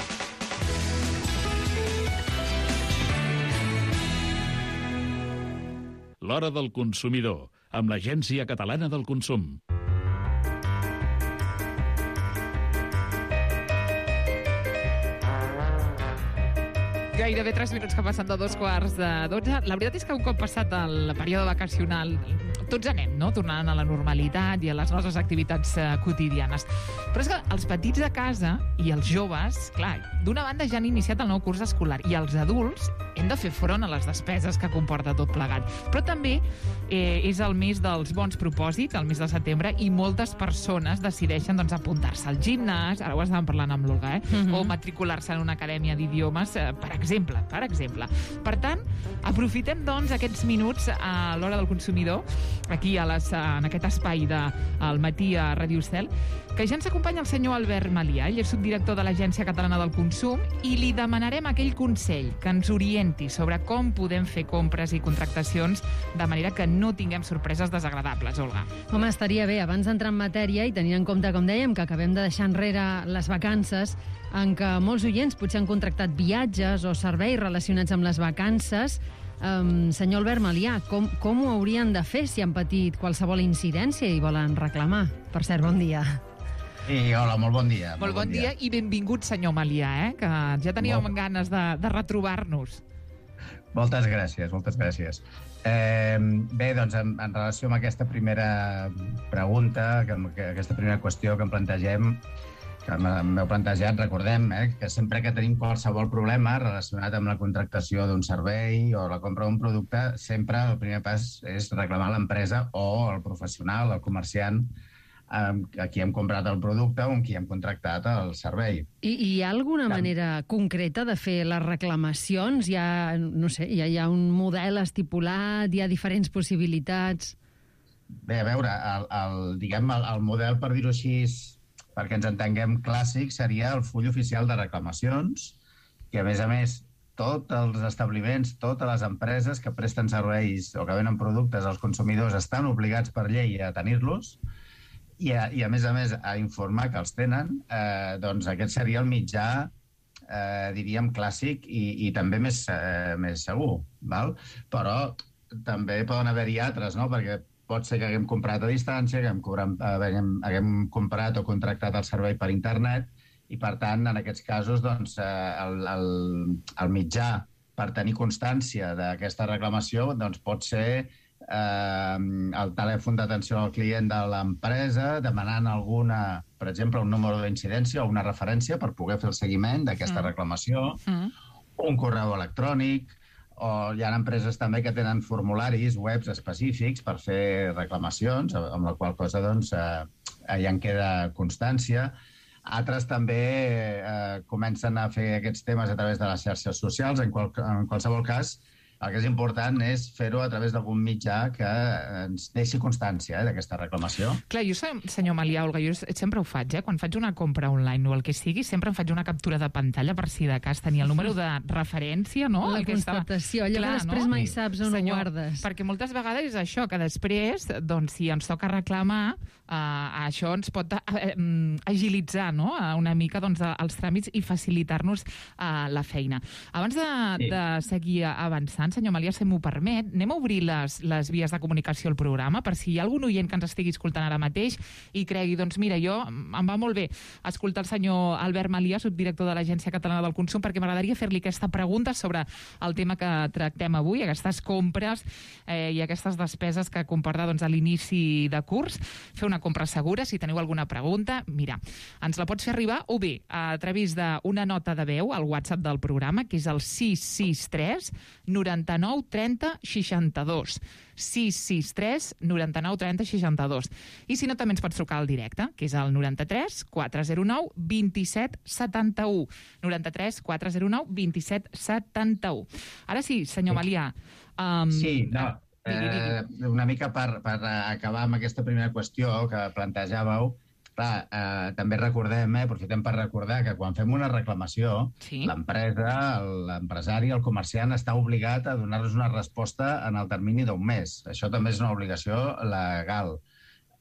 L'hora del consumidor, amb l'Agència Catalana del Consum. Gairebé tres minuts que passen de dos quarts de dotze. La veritat és que un cop passat el període vacacional, tots anem, no?, tornant a la normalitat i a les nostres activitats eh, quotidianes. Però és que els petits de casa i els joves, clar, d'una banda ja han iniciat el nou curs escolar i els adults hem de fer front a les despeses que comporta tot plegat. Però també eh, és el mes dels bons propòsits, el mes de setembre, i moltes persones decideixen doncs, apuntar-se al gimnàs, ara ho estàvem parlant amb l'Olga, eh? Mm-hmm. O matricular-se en una acadèmia d'idiomes, eh, per exemple, per exemple. Per tant, aprofitem doncs aquests minuts a l'hora del consumidor, aquí a les, en aquest espai de al matí a Ràdio Estel, que ja ens acompanya el senyor Albert Malià, ell és subdirector de l'Agència Catalana del Consum, i li demanarem aquell consell que ens orienti sobre com podem fer compres i contractacions de manera que no tinguem sorpreses desagradables, Olga. Home, estaria bé, abans d'entrar en matèria i tenint en compte, com dèiem, que acabem de deixar enrere les vacances, en què molts oients potser han contractat viatges o serveis relacionats amb les vacances. Um, senyor Albert Malià, com, com ho haurien de fer si han patit qualsevol incidència i volen reclamar? Per cert, bon dia. I hola, molt bon dia. Molt, molt bon, bon dia. dia i benvingut, senyor Malià, eh? Que ja teníem molt... ganes de, de retrobar-nos. Moltes gràcies, moltes gràcies. Eh, bé, doncs, en, en relació amb aquesta primera pregunta, que, que aquesta primera qüestió que em plantegem, que m'heu plantejat, recordem eh, que sempre que tenim qualsevol problema relacionat amb la contractació d'un servei o la compra d'un producte, sempre el primer pas és reclamar l'empresa o el professional, el comerciant, a qui hem comprat el producte o amb qui hem contractat el servei. I, i hi ha alguna manera concreta de fer les reclamacions? Hi ha, no sé, hi ha, hi ha un model estipulat, hi ha diferents possibilitats? Bé, a veure, el, el, diguem, el, el model, per dir-ho així, perquè ens entenguem clàssic, seria el full oficial de reclamacions, que a més a més tots els establiments, totes les empreses que presten serveis o que venen productes als consumidors estan obligats per llei a tenir-los, I a, i a més a més a informar que els tenen, eh, doncs aquest seria el mitjà, eh, diríem, clàssic i, i també més, eh, més segur, val? Però també poden haver-hi altres, no? Perquè pot ser que haguem comprat a distància, que haguem, cobrat, haguem, haguem comprat o contractat el servei per internet i, per tant, en aquests casos, doncs, eh, el, el, el mitjà per tenir constància d'aquesta reclamació doncs, pot ser Eh, el telèfon d'atenció al client de l'empresa, demanant alguna, per exemple, un número d'incidència o una referència per poder fer el seguiment d'aquesta mm. reclamació, mm. un correu electrònic, o hi ha empreses també que tenen formularis webs específics per fer reclamacions, amb la qual cosa doncs, eh, ja en queda constància. Altres també eh, comencen a fer aquests temes a través de les xarxes socials. En, qual, en qualsevol cas, el que és important és fer-ho a través d'algun mitjà que ens deixi constància eh, d'aquesta reclamació. Clar, jo, senyor Malià, Olga, jo sempre ho faig, eh? Quan faig una compra online o el que sigui, sempre em faig una captura de pantalla per si de cas tenir el número de referència, no? La el que constatació, allò que després no? mai saps on Senyor, ho guardes. Perquè moltes vegades és això, que després, doncs, si ens toca reclamar, eh, això ens pot eh, agilitzar no? una mica doncs, els tràmits i facilitar-nos eh, la feina. Abans de, sí. de seguir avançant, senyor Malià, si m'ho permet, anem a obrir les, les vies de comunicació al programa per si hi ha algun oient que ens estigui escoltant ara mateix i cregui, doncs mira, jo em va molt bé escoltar el senyor Albert Malià, subdirector de l'Agència Catalana del Consum, perquè m'agradaria fer-li aquesta pregunta sobre el tema que tractem avui, aquestes compres eh, i aquestes despeses que comporta doncs, a l'inici de curs. Fer una compra segura, si teniu alguna pregunta, mira, ens la pots fer arribar o bé a través d'una nota de veu al WhatsApp del programa, que és el sis sis tres noranta-nou trenta seixanta-dos. sis sis tres noranta-nou trenta seixanta-dos. I si no, també ens pots trucar al directe, que és el noranta-tres quatre zero nou vint-i-set setanta-u. noranta-tres quatre zero nou vint-i-set setanta-u. Ara sí, senyor Malià. Um, sí, no, eh, una mica per, per acabar amb aquesta primera qüestió que plantejàveu. Clar, eh, també recordem, eh, aprofitem per recordar que quan fem una reclamació, sí. l'empresa, l'empresari, el comerciant està obligat a donar-nos una resposta en el termini d'un mes. Això també és una obligació legal.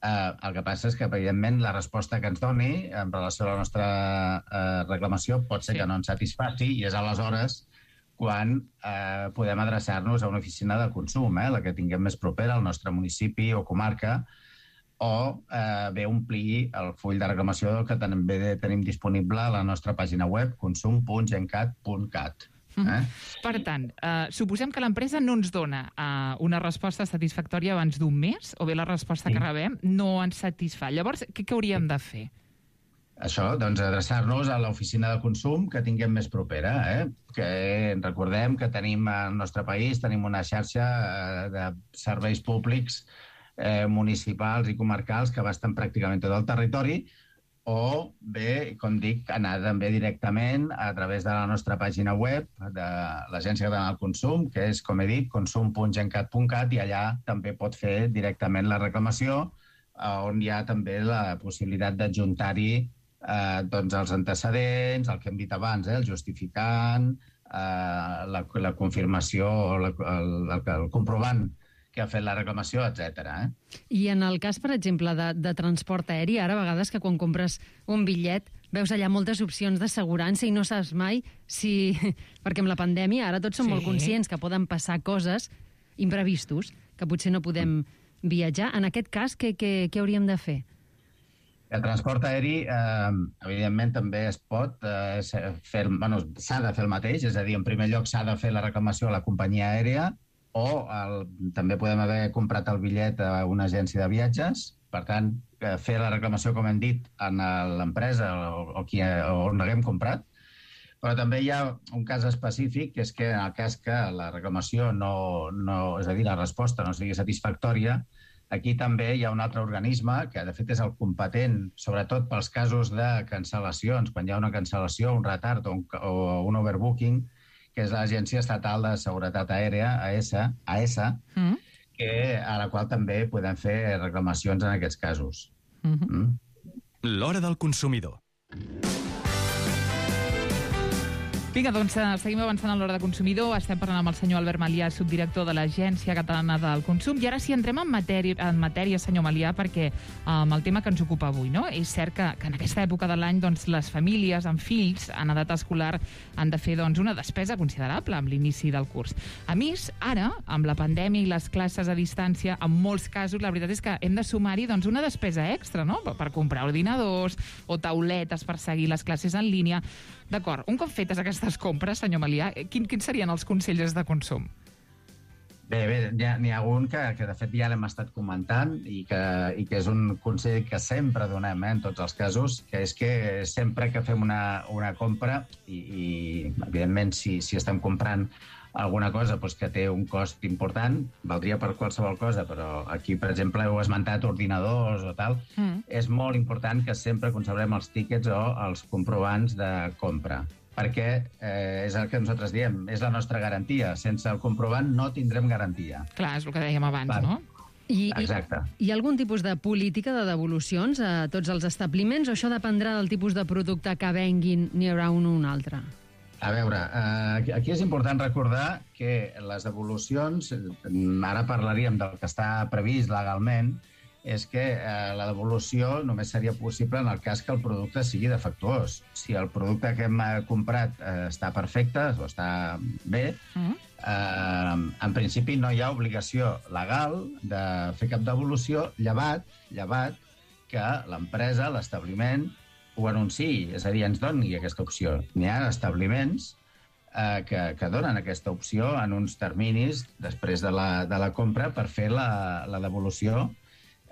Eh, el que passa és que, evidentment, la resposta que ens doni en relació a la nostra eh, reclamació pot ser sí. que no ens satisfaci i és aleshores quan eh, podem adreçar-nos a una oficina de consum, eh, la que tinguem més propera al nostre municipi o comarca, o eh, bé omplir el full de reclamació que també tenim disponible a la nostra pàgina web consum punt gencat punt cat. Eh? Per tant, eh, suposem que l'empresa no ens dona eh, una resposta satisfactòria abans d'un mes, o bé la resposta sí. que rebem no ens satisfà. Llavors, què, què hauríem de fer? Això, doncs, adreçar-nos a l'oficina de consum que tinguem més propera, eh? Que recordem que tenim al nostre país, tenim una xarxa eh, de serveis públics Eh, municipals i comarcals que abasten pràcticament tot el territori, o bé, com dic, anar també directament a través de la nostra pàgina web de l'Agència Catalana del Consum, que és, com he dit, consum punt gencat punt cat, i allà també pot fer directament la reclamació, on hi ha també la possibilitat d'adjuntar-hi eh, doncs els antecedents, el que hem dit abans, eh, el justificant, eh, la, la confirmació, la, el, el, el comprovant que ha fet la reclamació, etcètera. Eh? I en el cas, per exemple, de, de transport aeri, ara a vegades que quan compres un bitllet veus allà moltes opcions d'assegurança i no saps mai si... Perquè amb la pandèmia ara tots som sí. molt conscients que poden passar coses imprevistos, que potser no podem viatjar. En aquest cas, què, què, què hauríem de fer? El transport aeri, eh, evidentment, també es pot eh, fer... Bueno, s'ha de fer el mateix, és a dir, en primer lloc s'ha de fer la reclamació a la companyia aèria, o el, també podem haver comprat el bitllet a una agència de viatges, per tant, fer la reclamació, com hem dit, en l'empresa o, o qui, on l'haguem comprat, però també hi ha un cas específic, que és que en el cas que la reclamació no, no és a dir, la resposta no sigui satisfactòria, aquí també hi ha un altre organisme, que de fet és el competent, sobretot pels casos de cancel·lacions, quan hi ha una cancel·lació, un retard o un, o un overbooking, que és l'Agència Estatal de Seguretat Aèria, A E S A, A E S A, mm. que, a la qual també podem fer reclamacions en aquests casos. Mm-hmm. Mm? L'hora del consumidor. Vinga, doncs seguim avançant a l'hora de consumidor. Estem parlant amb el senyor Albert Malià, subdirector de l'Agència Catalana del Consum. I ara sí, entrem en matèria, en matèria senyor Malià, perquè amb um, el tema que ens ocupa avui, no? És cert que, que en aquesta època de l'any doncs, les famílies amb fills en edat escolar han de fer doncs, una despesa considerable amb l'inici del curs. A més, ara, amb la pandèmia i les classes a distància, en molts casos, la veritat és que hem de sumar-hi doncs, una despesa extra, no? Per, per comprar ordinadors o tauletes per seguir les classes en línia. D'acord, un cop fetes aquestes compres, senyor Malià, quin, quins serien els consells de consum? Bé, bé, n'hi ha, ha un que, que de fet ja l'hem estat comentant i que, i que és un consell que sempre donem eh, en tots els casos, que és que sempre que fem una, una compra i, i evidentment si, si estem comprant alguna cosa doncs, que té un cost important, valdria per qualsevol cosa, però aquí, per exemple, heu esmentat ordinadors o tal, mm. és molt important que sempre conservem els tíquets o els comprovants de compra, perquè eh, és el que nosaltres diem, és la nostra garantia. Sense el comprovant no tindrem garantia. Clar, és el que dèiem abans, per... no? I, Exacte. I, hi ha algun tipus de política de devolucions a tots els establiments o això dependrà del tipus de producte que venguin, n'hi haurà un o un altre? A veure, eh, aquí és important recordar que les devolucions, ara parlaríem del que està previst legalment, és que eh, la devolució només seria possible en el cas que el producte sigui defectuós. Si el producte que hem comprat eh, està perfecte o està bé, mm. eh, en principi no hi ha obligació legal de fer cap devolució, llevat, llevat que l'empresa, l'establiment, ho anunciï, és a dir, ens doni aquesta opció. N'hi ha establiments eh, que, que donen aquesta opció en uns terminis després de la, de la compra per fer la, la devolució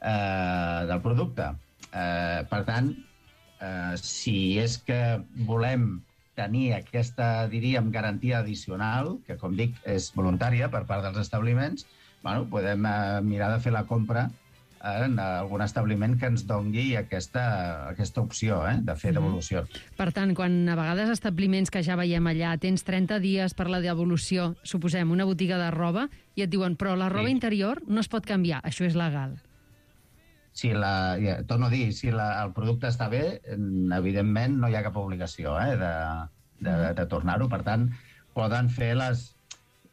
eh, del producte. Eh, per tant, eh, si és que volem tenir aquesta, diríem, garantia addicional, que, com dic, és voluntària per part dels establiments, bueno, podem eh, mirar de fer la compra en algun establiment que ens dongui aquesta, aquesta opció eh, de fer devolució. Mm. Per tant, quan a vegades establiments que ja veiem allà tens trenta dies per la devolució, suposem una botiga de roba, i et diuen, però la roba sí. interior no es pot canviar, això és legal. Si la, ja, torno a dir, si la, el producte està bé, evidentment no hi ha cap obligació eh, de, de, de, de tornar-ho. Per tant, poden fer les...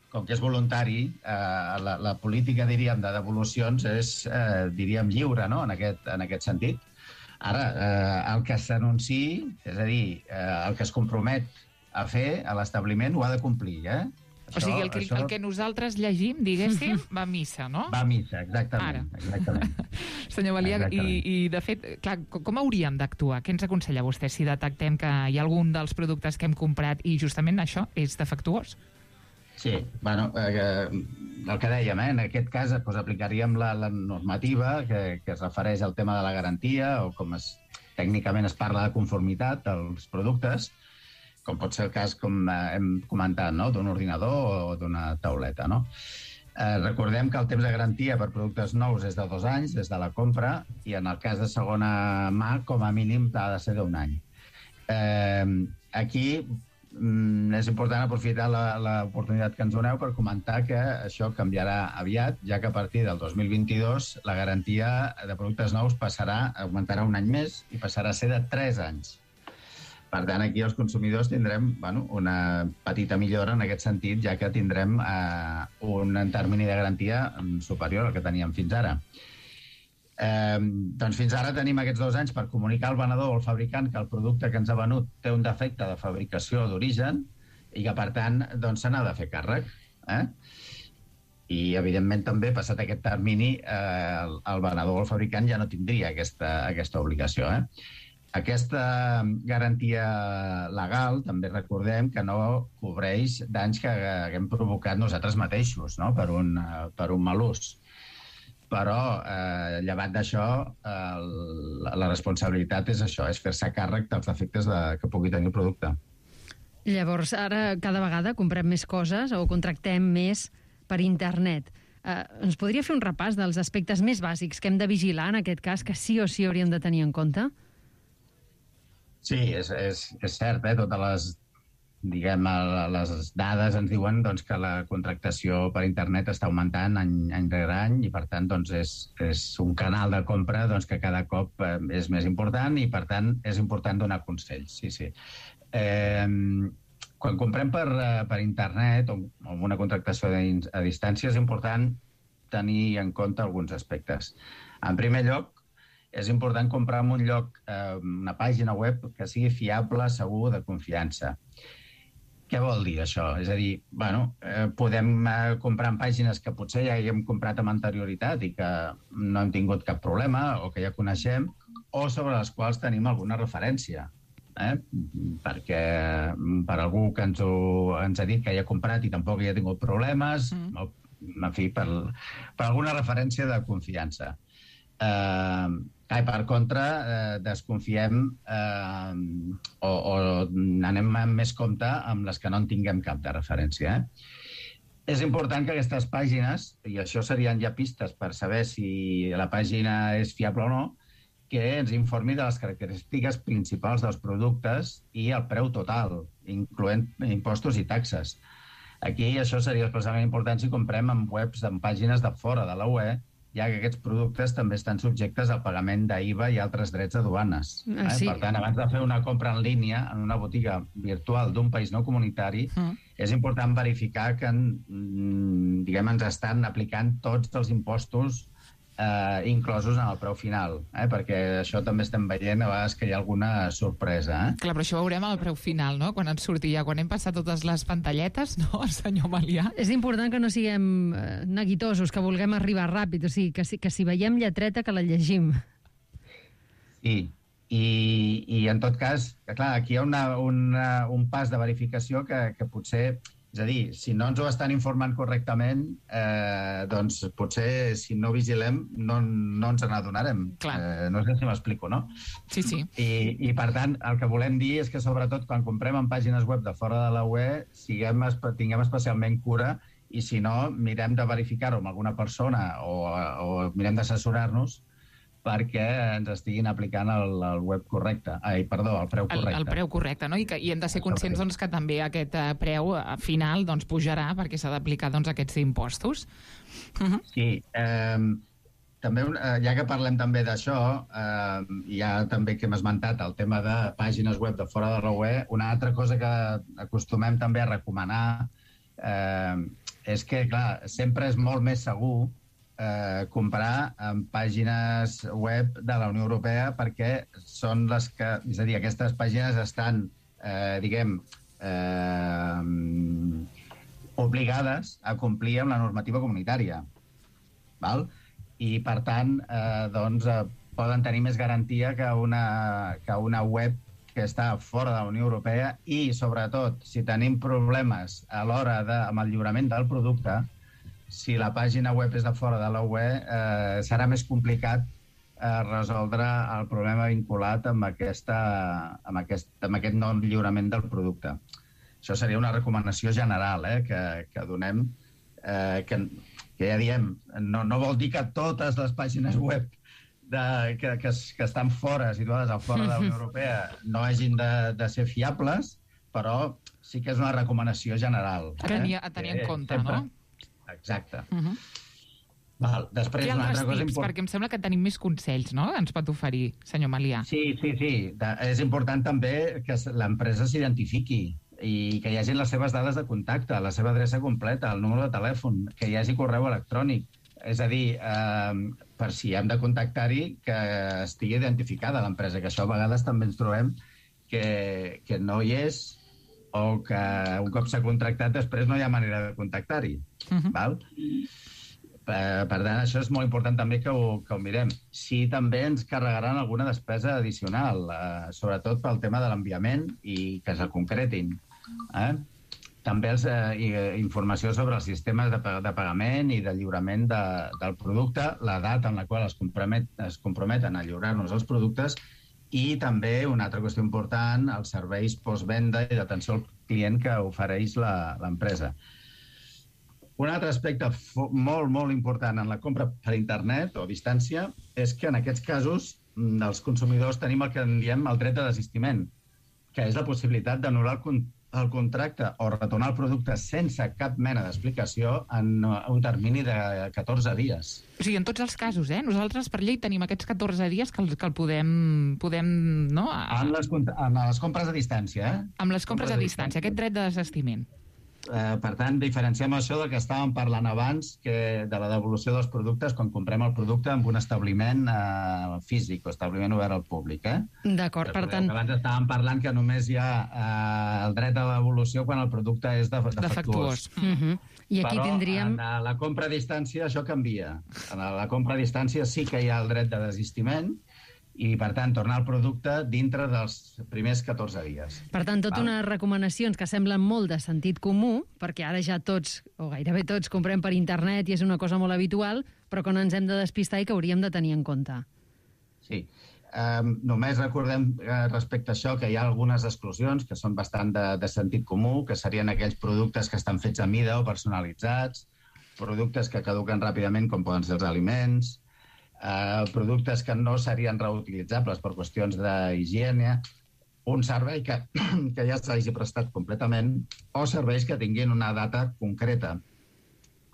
Com que és voluntari, eh, la, la política, diríem, de devolucions és, eh, diríem, lliure, no?, en aquest, en aquest sentit. Ara, eh, el que s'anunciï, és a dir, eh, el que es compromet a fer a l'establiment ho ha de complir, eh? Això, o sigui, el que, això... el que nosaltres llegim, diguéssim, va a missa, no? Va a missa, exactament. Ara. exactament. Senyor Malià, i, i de fet, clar, com hauríem d'actuar? Què ens aconsella vostè si detectem que hi ha algun dels productes que hem comprat i justament això és defectuós? Sí, bueno, eh, el que dèiem, eh, en aquest cas pues, aplicaríem la, la normativa que, que es refereix al tema de la garantia o com es, tècnicament es parla de conformitat dels productes, com pot ser el cas, com eh, hem comentat, no? D'un ordinador o d'una tauleta. No? Eh, recordem que el temps de garantia per productes nous és de dos anys des de la compra i en el cas de segona mà, com a mínim, ha de ser d'un any. Eh, aquí és important aprofitar l'oportunitat que ens doneu per comentar que això canviarà aviat, ja que a partir del dos mil vint-i-dos la garantia de productes nous passarà, augmentarà un any més i passarà a ser de tres anys. Per tant, aquí els consumidors tindrem bueno, una petita millora en aquest sentit, ja que tindrem eh, un termini de garantia superior al que teníem fins ara. Eh, doncs fins ara tenim aquests dos anys per comunicar al venedor o al fabricant que el producte que ens ha venut té un defecte de fabricació d'origen i que, per tant, doncs, se n'ha de fer càrrec. Eh? I, evidentment, també, passat aquest termini, eh, el, el venedor o el fabricant ja no tindria aquesta, aquesta obligació. Eh? Aquesta garantia legal, també recordem que no cobreix danys que haguem provocat nosaltres mateixos, no? per, un, per un mal ús. però eh, llevat d'això, eh, la, la responsabilitat és això, és fer-se càrrec dels efectes de, que pugui tenir el producte. Llavors, ara cada vegada comprem més coses o contractem més per internet. Eh, ens podria fer un repàs dels aspectes més bàsics que hem de vigilar en aquest cas, que sí o sí hauríem de tenir en compte? Sí, és, és, és cert, eh? Totes les, diguem, les dades ens diuen doncs, que la contractació per internet està augmentant any, any rere any i, per tant, doncs, és, és un canal de compra doncs, que cada cop eh, és més important i, per tant, és important donar consells. Sí, sí. Eh, quan comprem per, per internet o amb una contractació a distància és important tenir en compte alguns aspectes. En primer lloc, és important comprar en un lloc, eh, una pàgina web que sigui fiable, segur, de confiança. Què vol dir això? És a dir, bueno, eh, podem eh, comprar en pàgines que potser ja hi hem comprat amb anterioritat i que no hem tingut cap problema o que ja coneixem, o sobre les quals tenim alguna referència. Eh? Perquè per algú que ens, ho, ens ha dit que ja ha comprat i tampoc hi ha tingut problemes, mm. o, en fi, per, per alguna referència de confiança. Eh, i per contra, eh, desconfiem eh, o, o anem amb més compte amb les que no en tinguem cap de referència. Eh? És important que aquestes pàgines, i això serien ja pistes per saber si la pàgina és fiable o no, que ens informi de les característiques principals dels productes i el preu total, incloent impostos i taxes. Aquí això seria especialment important si comprem en webs, en pàgines de fora de la U E, ja que aquests productes també estan subjectes al pagament d'I V A i altres drets de duanes. Eh? Sí. Per tant, abans de fer una compra en línia en una botiga virtual d'un país no comunitari, mm. és important verificar que diguem, ens estan aplicant tots els impostos Eh, inclosos en el preu final, eh? Perquè això també estem veient a vegades que hi ha alguna sorpresa. Eh? Clar, però això ho veurem al preu final, no? Quan ens surti ja, quan hem passat totes les pantalletes, no, senyor Malià? És important que no siguem eh, neguitosos, que vulguem arribar ràpid, o sigui, que si, que si veiem lletreta, que la llegim. Sí, i, i en tot cas, clar, aquí hi ha una, una, un pas de verificació que, que potser... És a dir, si no ens ho estan informant correctament, eh, doncs potser si no vigilem no, no ens n'adonarem. Eh, no sé si m'explico, no? Sí, sí. I, I, per tant, el que volem dir és que, sobretot, quan comprem en pàgines web de fora de la U E, siguem, tinguem especialment cura i, si no, mirem de verificar-ho amb alguna persona o, o mirem d'assessorar-nos perquè ens estiguin aplicant el, el web correcte. Ai, perdó, el preu correcte. El, el preu correcte, no? I, que, i hem de ser conscients doncs, que també aquest uh, preu uh, final doncs, pujarà perquè s'ha d'aplicar doncs, aquests impostos. Uh-huh. Sí. Eh, també, eh, ja que parlem també d'això, eh, ja també que hem esmentat el tema de pàgines web de fora de la U E, una altra cosa que acostumem també a recomanar eh, és que, clar, sempre és molt més segur Eh, comprar en pàgines web de la Unió Europea perquè són les que... És a dir, aquestes pàgines estan, eh, diguem, eh, obligades a complir amb la normativa comunitària. Val? I, per tant, eh, doncs, eh, poden tenir més garantia que una, que una web que està fora de la Unió Europea i, sobretot, si tenim problemes a l'hora de, amb el lliurament del producte, si la pàgina web és de fora de la U E, eh, serà més complicat eh, resoldre el problema vinculat amb, aquesta, amb, aquest, amb aquest no lliurament del producte. Això seria una recomanació general eh, que, que donem, eh, que, que ja diem, no, no vol dir que totes les pàgines web de, que, que, que estan fora, situades a fora de la Unió Europea, no hagin de, de ser fiables, però sí que és una recomanació general. A tenir, a tenir en compte, sempre, no? Exacte. Uh-huh. Val, després, Què una altres altra cosa tips? import... Perquè em sembla que tenim més consells, no?, ens pot oferir, senyor Malià. Sí, sí, sí. De, és important també que l'empresa s'identifiqui i que hi hagi les seves dades de contacte, la seva adreça completa, el número de telèfon, que hi hagi correu electrònic. És a dir, eh, per si hem de contactar-hi, que estigui identificada l'empresa, que això a vegades també ens trobem que, que no hi és o que un cop s'ha contractat després no hi ha manera de contactar-hi. Uh-huh. Val? Per, per tant, això és molt important també que ho, que ho mirem. Sí, també ens carregaran alguna despesa addicional, eh, sobretot pel tema de l'enviament i que es concretin. Eh? també els, eh, informació sobre els sistemes de, de pagament i de lliurament de, del producte, la data en la qual es, compromet, es comprometen a lliurar-nos els productes, i també, una altra qüestió important, els serveis postvenda i d'atenció al client que ofereix l'empresa. Un altre aspecte molt, molt important en la compra per internet o a distància és que en aquests casos els consumidors tenim el que en diem el dret de desistiment, que és la possibilitat d'anul·lar el, el contracte o retornar el producte sense cap mena d'explicació en un termini de catorze dies. O sigui, en tots els casos, eh? Nosaltres per llei tenim aquests catorze dies que el, que el podem... podem no? En les, en les compres a distància, eh? Amb les compres, compres a distància, aquest dret de desistiment. Eh, per tant, diferenciem això del que estàvem parlant abans, que de la devolució dels productes quan comprem el producte en un establiment eh, físic o establiment obert al públic. Eh? D'acord, per tant... Abans estàvem parlant que només hi ha eh, el dret a la devolució quan el producte és defectuós. defectuós. Uh -huh. I aquí Però tindríem... en la compra a distància això canvia. En la compra a distància sí que hi ha el dret de desistiment i, per tant, tornar el producte dintre dels primers catorze dies. Per tant, tot unes recomanacions que semblen molt de sentit comú, perquè ara ja tots, o gairebé tots, comprem per internet i és una cosa molt habitual, però que no ens hem de despistar i que hauríem de tenir en compte. Sí. Um, només recordem uh, respecte a això que hi ha algunes exclusions que són bastant de, de sentit comú, que serien aquells productes que estan fets a mida o personalitzats, productes que caduquen ràpidament, com poden ser els aliments, Uh, productes que no serien reutilitzables per qüestions d'higiene, un servei que, que ja s'hagi prestat completament, o serveis que tinguin una data concreta.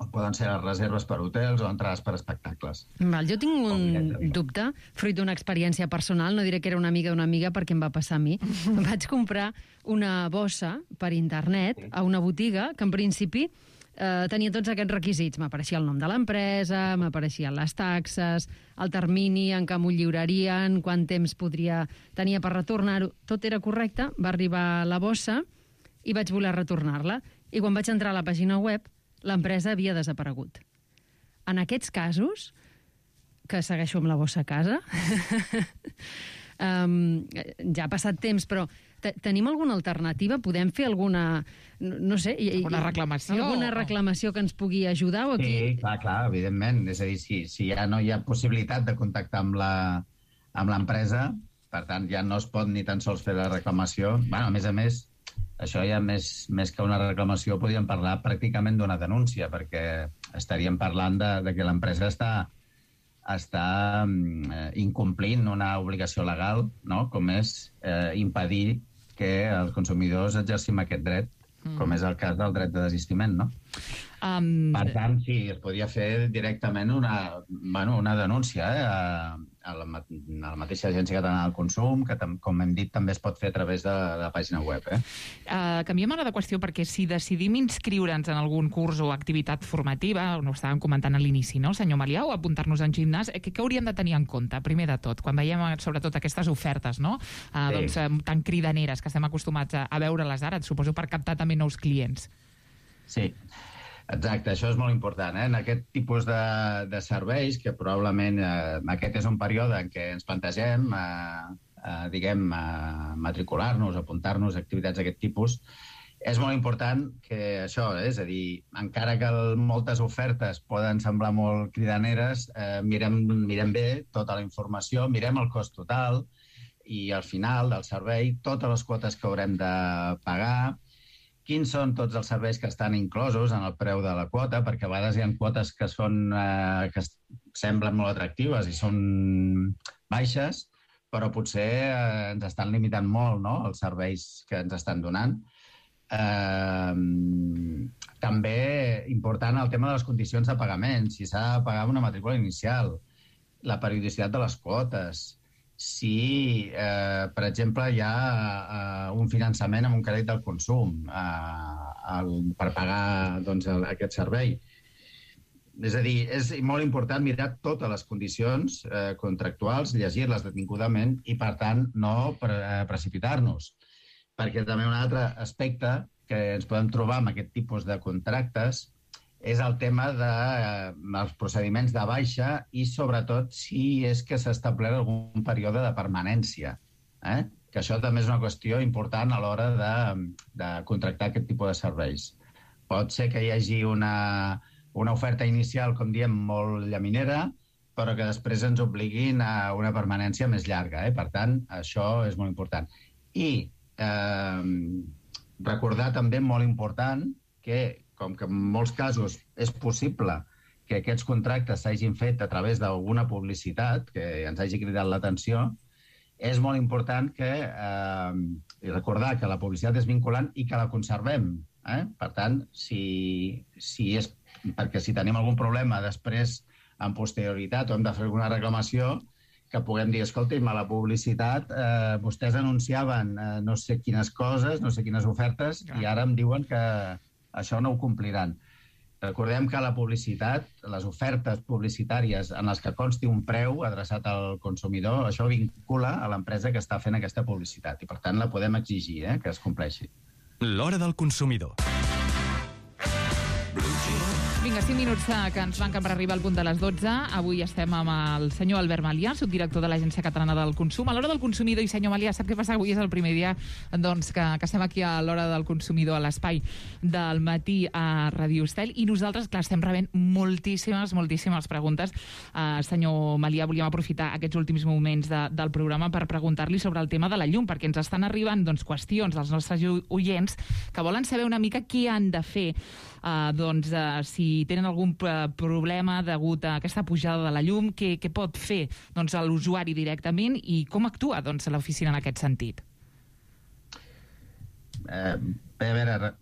O poden ser les reserves per hotels o entrades per espectacles. Val, jo tinc un dubte, fruit d'una experiència personal, no diré que era una amiga d'una amiga perquè em va passar a mi. Vaig comprar una bossa per internet a una botiga que en principi Uh, tenia tots aquests requisits. M'apareixia el nom de l'empresa, m'apareixien les taxes, el termini en què m'ho lliurarien, quant temps podria tenir per retornar-ho. Tot era correcte, va arribar la bossa i vaig voler retornar-la. I quan vaig entrar a la pàgina web, l'empresa havia desaparegut. En aquests casos, que segueixo amb la bossa a casa, um, ja ha passat temps, però tenim alguna alternativa? Podem fer alguna... no sé... Alguna reclamació? Alguna reclamació que ens pugui ajudar? O aquí? Sí, clar, clar, evidentment. És a dir, si, si ja no hi ha possibilitat de contactar amb la, amb l'empresa, per tant, ja no es pot ni tan sols fer la reclamació. Bueno, a més a més, això ja més, més que una reclamació podríem parlar pràcticament d'una denúncia, perquè estaríem parlant de, de que l'empresa està està eh, incomplint una obligació legal, no? Com és eh, impedir que els consumidors exercim aquest dret, mm. com és el cas del dret de desistiment, no? Um... Per tant, sí, es podria fer directament una, bueno, una denúncia eh, a, a, la, a la mateixa Agència Catalana del Consum, que, com hem dit, també es pot fer a través de, de la pàgina web. Eh? Uh, canviem ara de qüestió, perquè si decidim inscriure'ns en algun curs o activitat formativa, no ho estàvem comentant a l'inici, no, senyor Malià, o apuntar-nos en gimnàs, què, què hauríem de tenir en compte, primer de tot, quan veiem sobretot aquestes ofertes, no? Uh, sí. doncs, uh, tan cridaneres que estem acostumats a, a veure-les ara, suposo per captar també nous clients. Sí. Exacte, això és molt important. Eh? En aquest tipus de, de serveis, que probablement eh, aquest és un període en què ens plantegem, eh, eh, diguem, eh, matricular-nos, apuntar-nos a activitats d'aquest tipus, és molt important que això, eh, és a dir, encara que moltes ofertes poden semblar molt cridaneres, eh, mirem, mirem bé tota la informació, mirem el cost total i al final del servei totes les quotes que haurem de pagar, quins són tots els serveis que estan inclosos en el preu de la quota, perquè a vegades hi ha quotes que són eh, que semblen molt atractives i són baixes, però potser eh, ens estan limitant molt, no?, els serveis que ens estan donant. Eh, també important el tema de les condicions de pagament, si s'ha de pagar una matrícula inicial, la periodicitat de les quotes, si, eh, per exemple, hi ha eh, un finançament amb un crèdit del consum eh, el, per pagar doncs, el, aquest servei. És a dir, és molt important mirar totes les condicions eh, contractuals, llegir-les detingudament i, per tant, no pre precipitar-nos. Perquè també un altre aspecte que ens podem trobar amb aquest tipus de contractes és el tema dels eh, procediments de baixa i, sobretot, si és que s'ha establert algun període de permanència. Eh? que això també és una qüestió important a l'hora de, de contractar aquest tipus de serveis. Pot ser que hi hagi una, una oferta inicial, com diem, molt llaminera, però que després ens obliguin a una permanència més llarga. Eh? Per tant, això és molt important. I eh, recordar també, molt important, que com que en molts casos és possible que aquests contractes s'hagin fet a través d'alguna publicitat que ens hagi cridat l'atenció, és molt important que eh, recordar que la publicitat és vinculant i que la conservem. Eh? Per tant, si, si és, perquè si tenim algun problema després, en posterioritat, o hem de fer alguna reclamació, que puguem dir, escolti'm, a la publicitat eh, vostès anunciaven eh, no sé quines coses, no sé quines ofertes, i ara em diuen que això no ho compliran. Recordem que la publicitat, les ofertes publicitàries en les que consti un preu adreçat al consumidor, això vincula a l'empresa que està fent aquesta publicitat i, per tant, la podem exigir, eh, que es compleixi. L'hora del consumidor. Vinga, cinc minuts que ens manquen per arribar al punt de les dotze. Avui estem amb el senyor Albert Malià, subdirector de l'Agència Catalana del Consum. A l'hora del consumidor, i senyor Malià, sap què passa? Avui és el primer dia doncs, que, que estem aquí a l'hora del consumidor, a l'espai del matí a Radio Estel, i nosaltres, clar, estem rebent moltíssimes, moltíssimes preguntes. Uh, senyor Malià, volíem aprofitar aquests últims moments de, del programa per preguntar-li sobre el tema de la llum, perquè ens estan arribant doncs, qüestions dels nostres oients que volen saber una mica què han de fer, uh, doncs, uh, si tenen algun problema degut a aquesta pujada de la llum, què, què pot fer doncs, l'usuari directament i com actua doncs, l'oficina en aquest sentit? Eh, bé, a veure,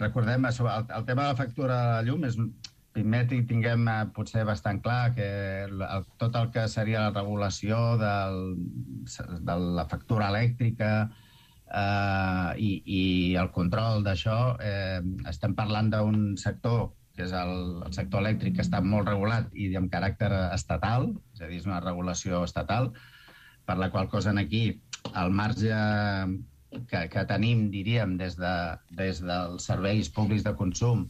recordem, el, el tema de la factura de la llum és, primer tinguem eh, potser bastant clar que el, tot el que seria la regulació del, de la factura elèctrica eh, i, i el control d'això, eh, estem parlant d'un sector que és el, el sector elèctric, que està molt regulat i amb caràcter estatal, és a dir, és una regulació estatal, per la qual cosa aquí el marge que, que tenim, diríem, des, de, des dels serveis públics de consum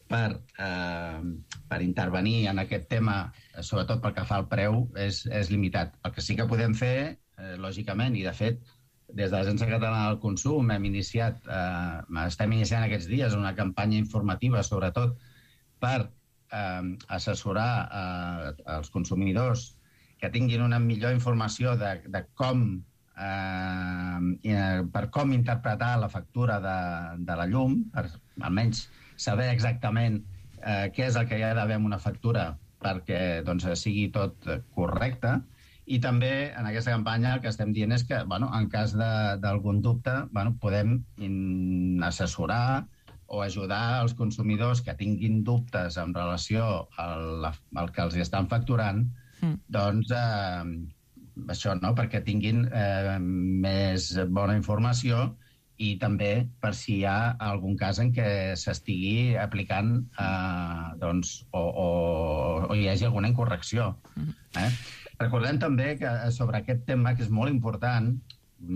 per, eh, per intervenir en aquest tema, sobretot pel que fa al preu, és, és limitat. El que sí que podem fer, eh, lògicament, i de fet, des de l'Agència Catalana del Consum hem iniciat, eh, estem iniciant aquests dies una campanya informativa, sobretot, per eh, assessorar eh, els consumidors que tinguin una millor informació de, de com eh, per com interpretar la factura de, de la llum, per almenys saber exactament eh, què és el que hi ha d'haver en una factura perquè doncs, sigui tot correcte. I també en aquesta campanya el que estem dient és que, bueno, en cas d'algun dubte, bueno, podem assessorar o ajudar els consumidors que tinguin dubtes en relació al, al que els estan facturant, mm. doncs eh, això, no?, perquè tinguin eh, més bona informació i també per si hi ha algun cas en què s'estigui aplicant eh, doncs, o, o, o hi hagi alguna incorrecció. Mm. Eh? Recordem també que sobre aquest tema, que és molt important,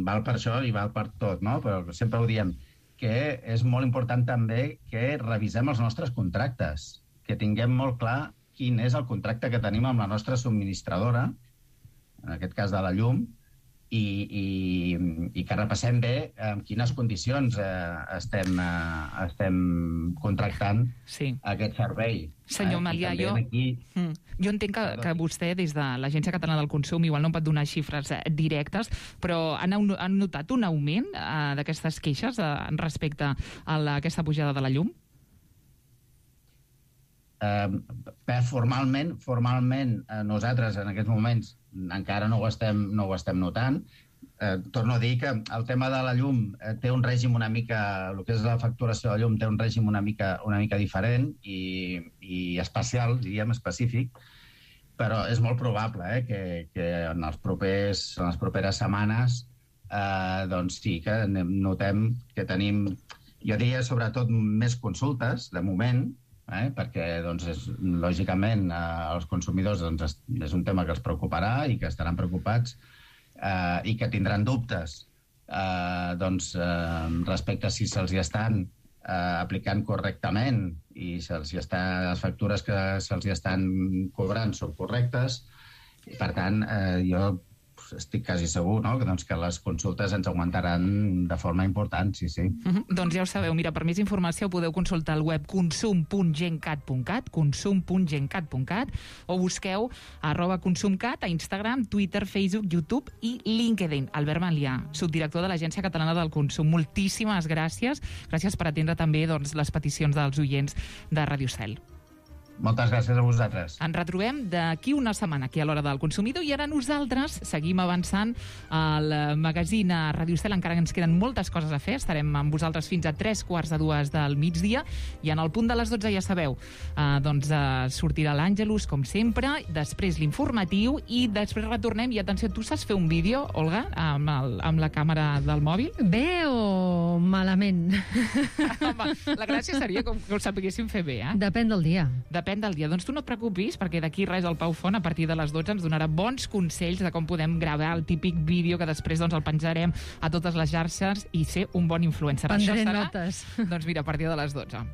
val per això i val per tot, no?, però sempre ho diem, que és molt important també que revisem els nostres contractes, que tinguem molt clar quin és el contracte que tenim amb la nostra subministradora, en aquest cas de la llum, i, i, i que repassem bé en quines condicions eh, estem, eh, estem contractant sí. aquest servei. Senyor eh? Malià, jo, aquí... mm, jo entenc que, que vostè, des de l'Agència Catalana del Consum, igual no pot donar xifres eh, directes, però han, han notat un augment eh, d'aquestes queixes eh, respecte a la, aquesta pujada de la llum? Eh, formalment, formalment eh, nosaltres en aquests moments encara no ho estem, no ho estem notant. Eh, torno a dir que el tema de la llum eh, té un règim una mica, el que és la facturació de la llum té un règim una mica, una mica diferent i, i especial, diríem, específic, però és molt probable eh, que, que en, els propers, en les properes setmanes eh, doncs sí que notem que tenim, jo diria sobretot més consultes, de moment, Eh, perquè, doncs, és, lògicament, eh, els consumidors doncs, és, és un tema que els preocuparà i que estaran preocupats eh, i que tindran dubtes eh, doncs, eh, respecte a si se'ls hi estan eh, aplicant correctament i se'ls hi està, les factures que se'ls hi estan cobrant són correctes. I, per tant, eh, jo estic quasi segur, no?, que, doncs, que les consultes ens augmentaran de forma important, sí, sí. Uh-huh. Doncs ja ho sabeu, mira, per més informació podeu consultar el web consum punt gencat punt cat, consum punt gencat punt cat, o busqueu arroba consumcat a Instagram, Twitter, Facebook, YouTube i LinkedIn. Albert Malià, subdirector de l'Agència Catalana del Consum, moltíssimes gràcies. Gràcies per atendre també, doncs, les peticions dels oients de Ràdio Cel. Moltes gràcies a vosaltres. Ens retrobem d'aquí una setmana aquí a l'Hora del Consumidor i ara nosaltres seguim avançant al magazín a Ràdio Cel. Encara ens queden moltes coses a fer. Estarem amb vosaltres fins a tres quarts de dues del migdia i en el punt de les dotze, ja sabeu, eh, doncs eh, sortirà l'Àngelus, com sempre, després l'informatiu i després retornem. I atenció, tu saps fer un vídeo, Olga, amb, el, amb la càmera del mòbil? Bé o malament? Home, la gràcia seria com que ho sapiguéssim fer bé, eh? Depèn del dia. Depèn del dia. Doncs tu no et preocupis, perquè d'aquí res el Pau Font, a partir de les dotze, ens donarà bons consells de com podem gravar el típic vídeo que després doncs, el penjarem a totes les xarxes i ser un bon influencer. Prendré Això serà, notes. doncs mira, a partir de les dotze.